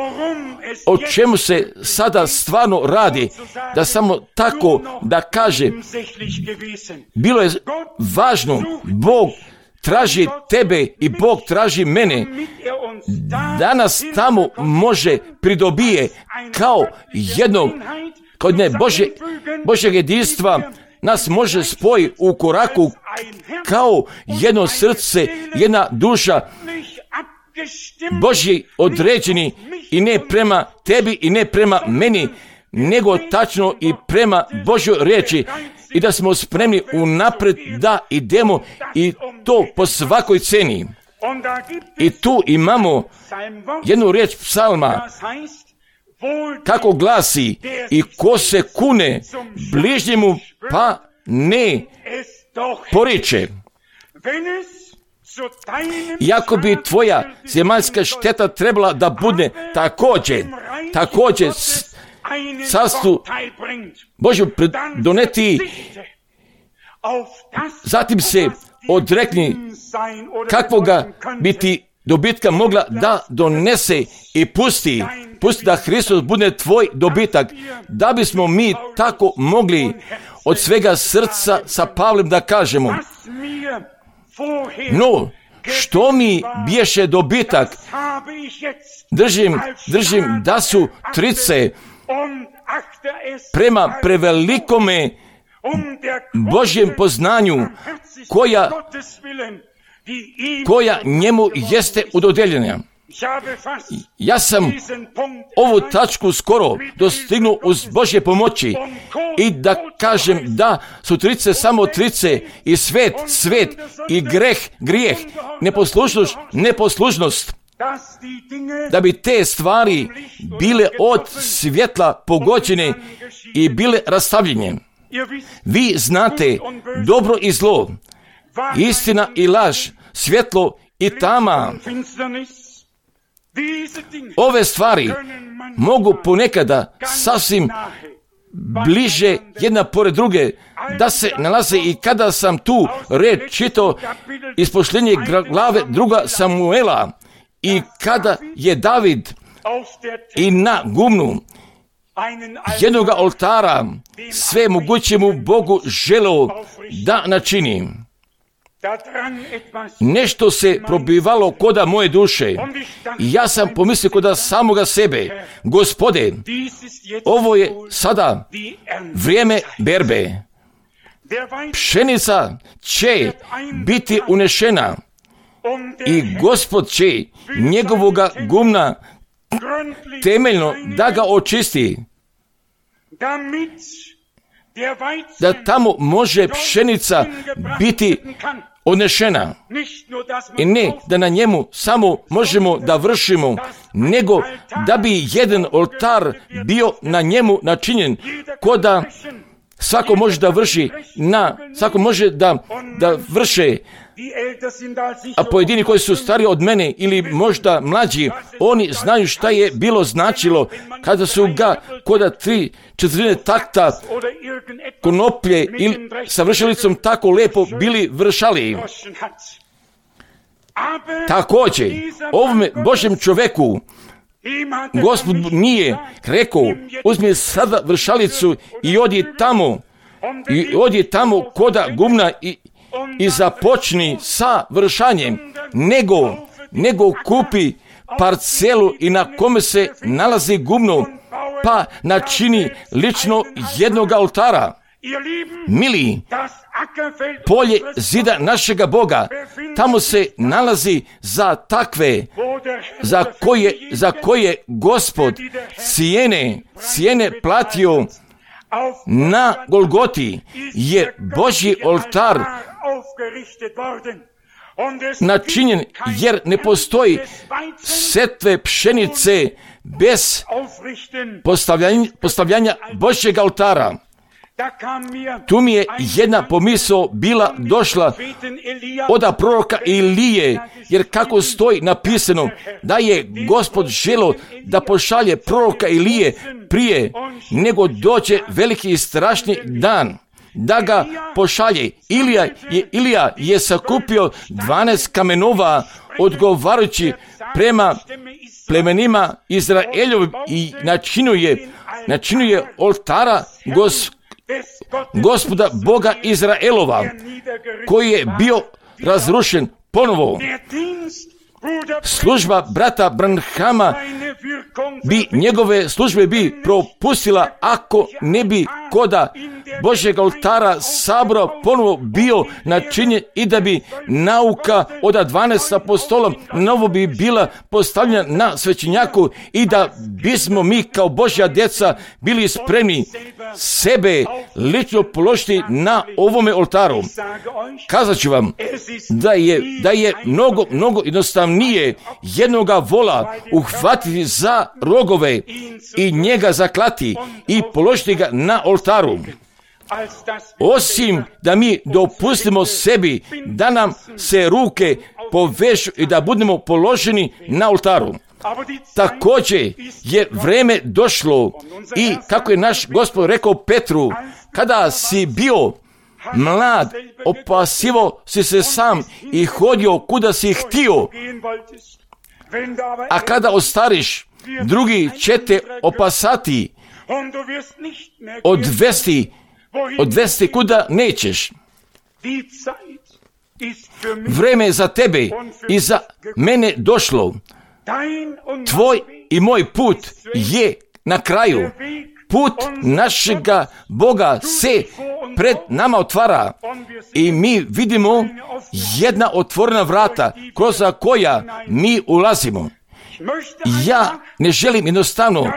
o čemu se sada stvarno radi, da samo tako da kaže, bilo je važno, Bog traži tebe i Bog traži mene, da nas tamo može pridobije kao jednog, kod ne Bože, Božeg jedinstva, nas može spoji u koraku kao jedno srce, jedna duša, Božji određeni i ne prema tebi i ne prema meni, nego tačno i prema Božjoj riječi, i da smo spremni unapred da idemo i to po svakoj ceni. I tu imamo jednu riječ psalma, kako glasi, i ko se kune bližnjemu pa ne poriče. Iako bi tvoja zemaljska šteta trebala da bude također, također carstvu Božju doneti, zatim se odrekni kakvoga bi ti dobitka mogla da donese i pusti, pusti da Hristos bude tvoj dobitak, da bismo mi tako mogli od svega srca sa Pavlem da kažemo, no, što mi biješe dobitak, držim, držim da su trice prema prevelikome Božjem poznanju, koja, koja njemu jeste udodeljena. Ja sam ovu tačku skoro dostignuo uz Božje pomoći i da kažem da su trice samo trice i svet, svet i greh, grijeh, neposlušnost, neposlušnost, da bi te stvari bile od svjetla pogođene i bile rastavljene. Vi znate dobro i zlo, istina i laž, svjetlo i tama. Ove stvari mogu ponekada sasvim bliže jedna pored druge da se nalaze, i kada sam tu reč čitao iz posljednje glave druga Samuela, i kada je David i na gumnu jednoga oltara sve mogućemu Bogu želeo da načini, nešto se probivalo koda moje duše. I ja sam pomislio koda samoga sebe, Gospode, ovo je sada vrijeme berbe. pšenica će biti unešena i Gospod će njegovoga gumna temeljno da ga očisti, da tamo može pšenica biti odnešena. I ne da na njemu samo možemo da vršimo, nego da bi jedan oltar bio na njemu načinjen, ko da svako može da vrši, na, svako može da, da vrše, a pojedini koji su stariji od mene ili možda mlađi, oni znaju šta je bilo značilo kada su ga koda tri četvrtine takta konoplje ili sa vršalicom tako lepo bili vršali. Također, ovome Božjem čoveku Gospod nije rekao, uzmi sada vršalicu i odi tamo, i odi tamo koda gumna i, i započni sa vršanjem, nego, nego kupi parcelu i na kome se nalazi gumno, pa načini lično jednog oltara. Mili, polje zida našega Boga, tamo se nalazi za takve, za koje, za koje Gospod cijene, cijene platio na Golgoti, je Božji oltar načinjen, jer ne postoji setve pšenice bez postavljanja, postavljanja Božjeg oltara. Tu mi je jedna pomisao bila došla od proroka Ilije, jer kako stoji napisano da je Gospod želio da pošalje proroka Ilije prije nego dođe veliki i strašni dan, da ga pošalje. Ilija je, Ilija je sakupio dvanaest kamenova odgovarajući prema plemenima Izraeljovim i načinuje, načinuje oltara Gospod Gospoda Boga Izraelova, koji je bio razrušen ponovo. Služba brata Branhama bi, njegove službe bi propustila ako ne bi koda Božjeg oltara sabora ponovo bio načinjen i da bi nauka od dvanaest apostola novo bi bila postavljena na svećenjaku i da bismo mi kao Božja djeca bili spremni sebe lično položiti na ovome oltaru. Kazat ću vam da je, da je mnogo, mnogo jednostavnije jednoga vola uhvatiti za rogove i njega zaklati i položiti ga na oltaru, osim da mi dopustimo sebi da nam se ruke povežu i da budemo položeni na oltaru. Također je vreme došlo i kako je naš Gospod rekao Petru, kada si bio mlad, opasivo si se sam i hodio kuda si htio, a kada ostariš, drugi će te opasati, odvesti, odvesti kuda nećeš. Vreme je za tebe i za mene došlo. Tvoj i moj put je na kraju. Put našega Boga se pred nama otvara i mi vidimo jedna otvorena vrata kroz koja mi ulazimo. Ja ne želim jednostavno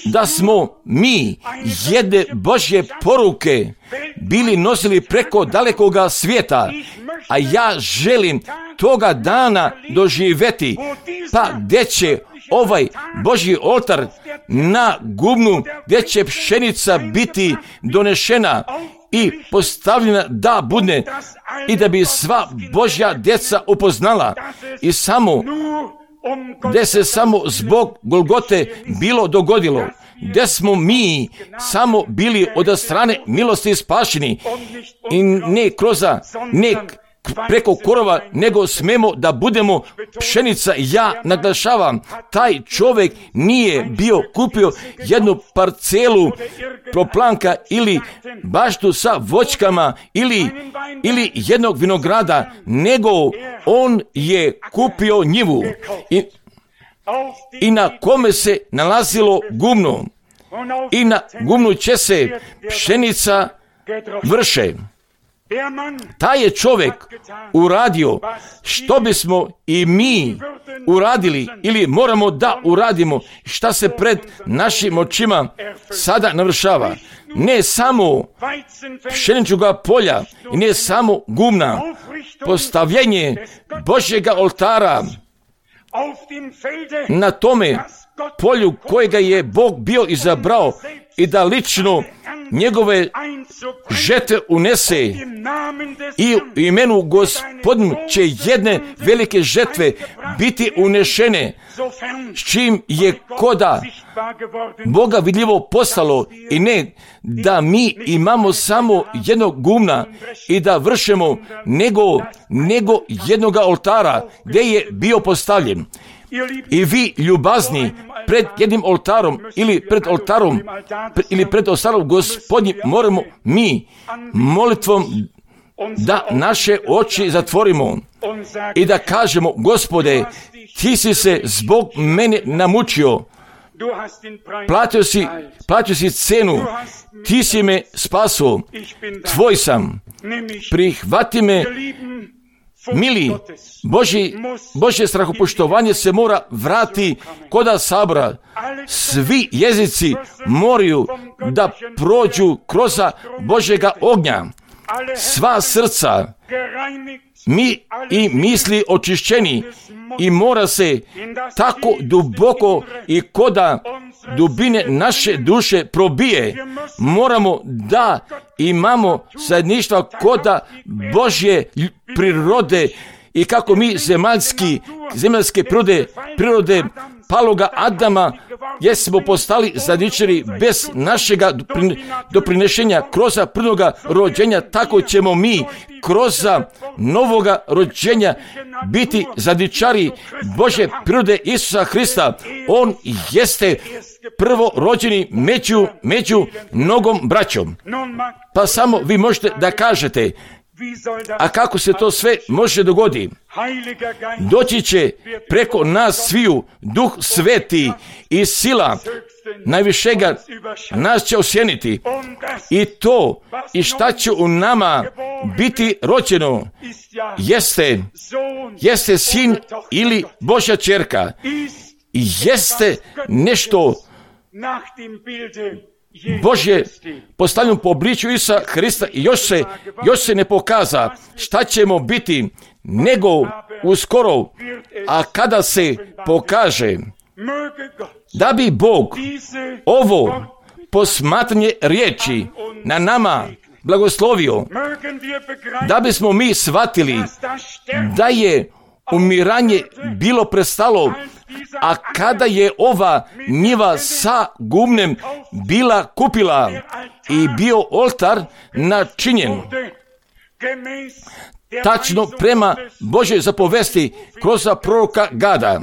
da smo mi jedne Božje poruke bili nosili preko dalekoga svijeta, a ja želim toga dana doživjeti, pa gdje će ovaj Božji oltar na gumnu, gdje će pšenica biti donešena i postavljena da bude i da bi sva Božja djeca upoznala i samo gdje se samo zbog Golgote bilo dogodilo, gdje smo mi samo bili od strane milosti spašeni i ne kroz, ne preko korova, nego smemo da budemo pšenica. Ja naglašavam, taj čovjek nije bio kupio jednu parcelu proplanka ili baštu sa voćkama ili, ili jednog vinograda, nego on je kupio njivu i, i na kome se nalazilo gumno i na gumnu će se pšenica vrše. Taj je čovjek uradio što bismo i mi uradili ili moramo da uradimo, šta se pred našim očima sada navršava. Ne samo pšeničnoga polja i ne samo gumna, postavljanje Božjega oltara na tome polju kojega je Bog bio izabrao i da lično njegove žetve unese i u imenu Gospodinu će jedne velike žetve biti unešene, s čim je koda Boga vidljivo postalo i ne da mi imamo samo jednog gumna i da vršemo nego, nego jednoga oltara gdje je bio postavljen. I vi ljubazni pred jednim oltarom ili pred oltarom ili pred oltarom Gospodnjim moramo mi molitvom da naše oči zatvorimo i da kažemo: Gospode, ti si se zbog mene namučio, platio si, platio si cenu, ti si me spasao, tvoj sam, prihvati me. Mili, Boži, Božje strahopoštovanje se mora vrati koda sabora. Svi jezici moraju da prođu kroz Božjega ognja. Sva srca mi i misli očišćeni i mora se tako duboko i koda dubine naše duše probije. Moramo da imamo zajedništva koda Božje prirode i kako mi zemaljski, zemaljske prirode, prirode paloga Adama jesmo postali zajedničari bez našega doprinešenja kroz prvoga rođenja, tako ćemo mi kroz novoga rođenja biti zajedničari Božje prirode Isusa Hrista. On jeste prvo rođeni među, među mnogom braćom. Pa samo vi možete da kažete: a kako se to sve može dogoditi? Doći će preko nas sviju Duh Sveti i sila najvišega nas će osjeniti. I to i šta će u nama biti rođeno jeste, jeste sin ili Božja ćerka. Jeste nešto Božje postavljeno po obličju Isusa Hrista i još se, još se ne pokaza šta ćemo biti nego uskoro, a kada se pokaže, da bi Bog ovo posmatranje riječi na nama blagoslovio, da bismo mi shvatili da je umiranje bilo prestalo, a kada je ova njiva sa gumnem bila kupila i bio oltar načinjen tačno prema Božoj zapovesti kroz proroka Gada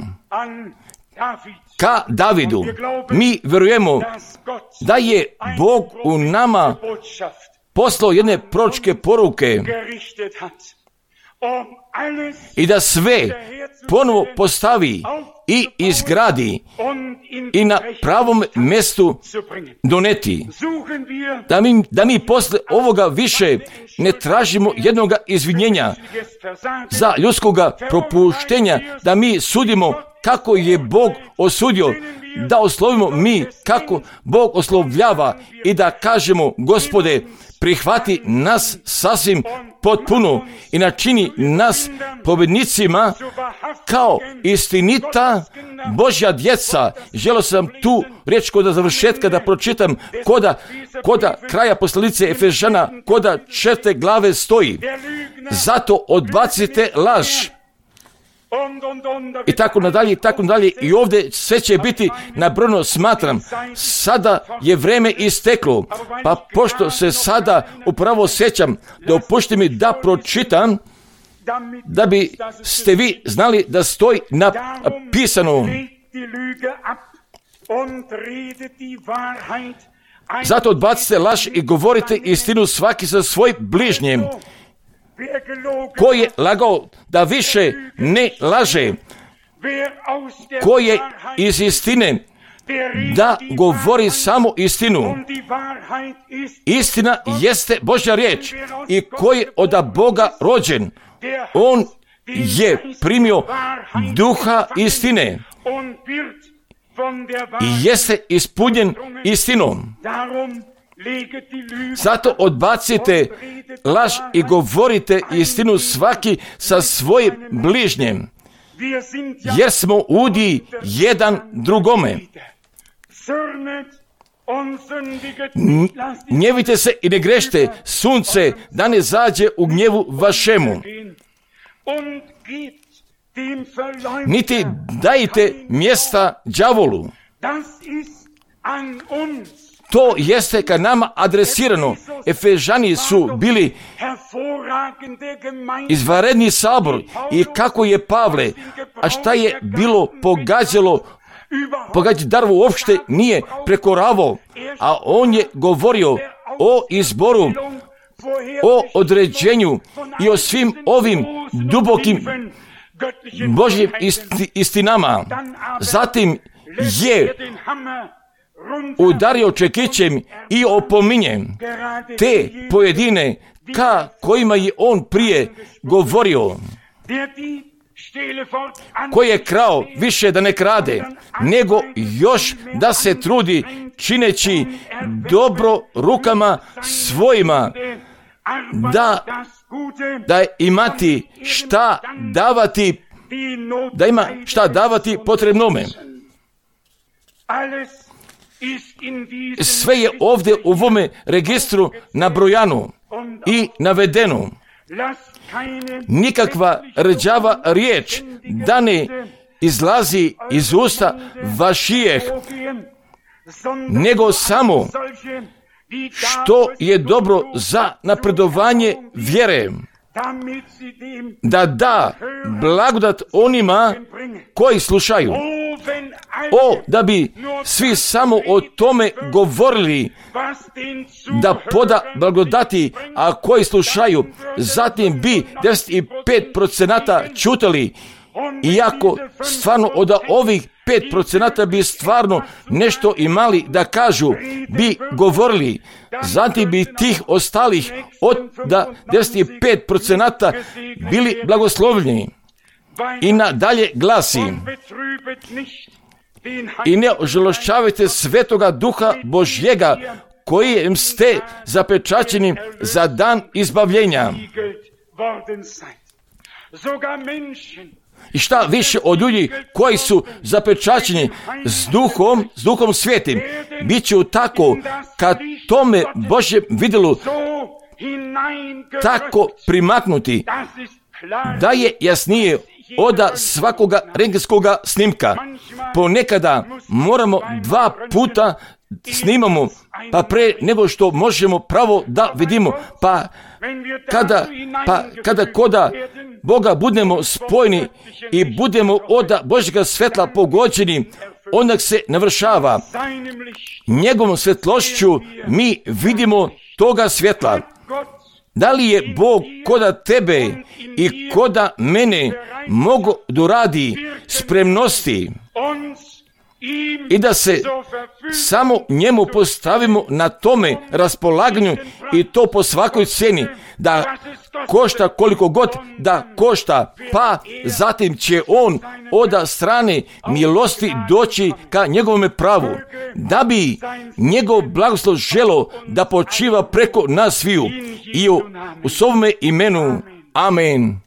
ka Davidu, mi vjerujemo da je Bog u nama poslao jedne proročke poruke i da sve ponovo postavi i izgradi i na pravom mjestu doneti. Da mi, da mi posle ovoga više ne tražimo jednoga izvinjenja za ljudskoga propuštenja, da mi sudimo kako je Bog osudio, da oslovimo mi kako Bog oslovljava i da kažemo: Gospode, prihvati nas sasvim potpuno i načini nas pobjednicima kao istinita Božja djeca. Želio sam tu riječ koda završetka da pročitam koda, koda kraja poslanice Efežana, koda četvrte glave stoji: zato odbacite laž. I tako nadalje, i tako nadalje. I ovdje sve će biti nabrojano. Smatram, sada je vreme isteklo, pa pošto se sada upravo sjećam, dopušti mi da pročitam, da bi ste vi znali da stoji napisano: zato odbacite laž i govorite istinu svaki sa svojim bližnjem. Ko je lagao da više ne laže, ko je iz istine da govori samo istinu. Istina jeste Božja riječ i koji je od Boga rođen, on je primio duha istine i jeste ispunjen istinom. Zato odbacite laž i govorite istinu svaki sa svojim bližnjem, jer smo udi jedan drugome. Gnjevite se i ne grešte, sunce da ne zađe u gnjevu vašemu. Niti dajte mjesta đavolu. To jeste ka nama adresirano. Efežani su bili izvanredni sabor i kako je Pavle, a šta je bilo pogađalo, pogađati Darovu uopšte nije prekoravao, a on je govorio o izboru, o određenju i o svim ovim dubokim Božjim isti, istinama. Zatim je udario čekićem i opominje te pojedine ka kojima je on prije govorio. Koji je krao više da ne krade, nego još da se trudi čineći dobro rukama svojima, da, da imati šta davati, da ima šta davati potrebnome. Sve je ovdje u ovome registru nabrojano i navedeno. Nikakva rđava riječ da ne izlazi iz usta vašijeh, nego samo što je dobro za napredovanje vjere, da da blagodat onima koji slušaju. O, da bi svi samo o tome govorili, da poda blagodati, a koji slušaju, zatim bi devedeset pet procenata čutali, iako stvarno od ovih pet procenata bi stvarno nešto imali da kažu, bi govorili, zatim bi tih ostalih od da devedeset pet procenata bili blagoslovljeni. I nadalje glasi: i ne ožalošćavajte Svetoga Duha Božjega, kojem ste zapečaćeni za dan izbavljenja. I šta više od ljudi koji su zapečaćeni s duhom, s duhom svetim, bit će tako kad tome Božjem vidjelu tako primaknuti, da je jasnije oda svakoga rentgenskoga snimka. Ponekada moramo dva puta snimamo, pa pre nego što možemo pravo da vidimo, pa kada, pa kada koda Boga budemo spojeni i budemo oda Božjega svetla pogođeni, onda se navršava. Njegovom svetlošću mi vidimo toga svjetla. Da li je Bog koda tebe i koda mene mogo doradi spremnosti i da se samo njemu postavimo na tome raspolaganju, i to po svakoj cijeni, da košta koliko god da košta, pa zatim će on od strane milosti doći ka njegovome pravu, da bi njegov blagoslov želo da počiva preko nas sviju. I u, u svome imenu. Amen.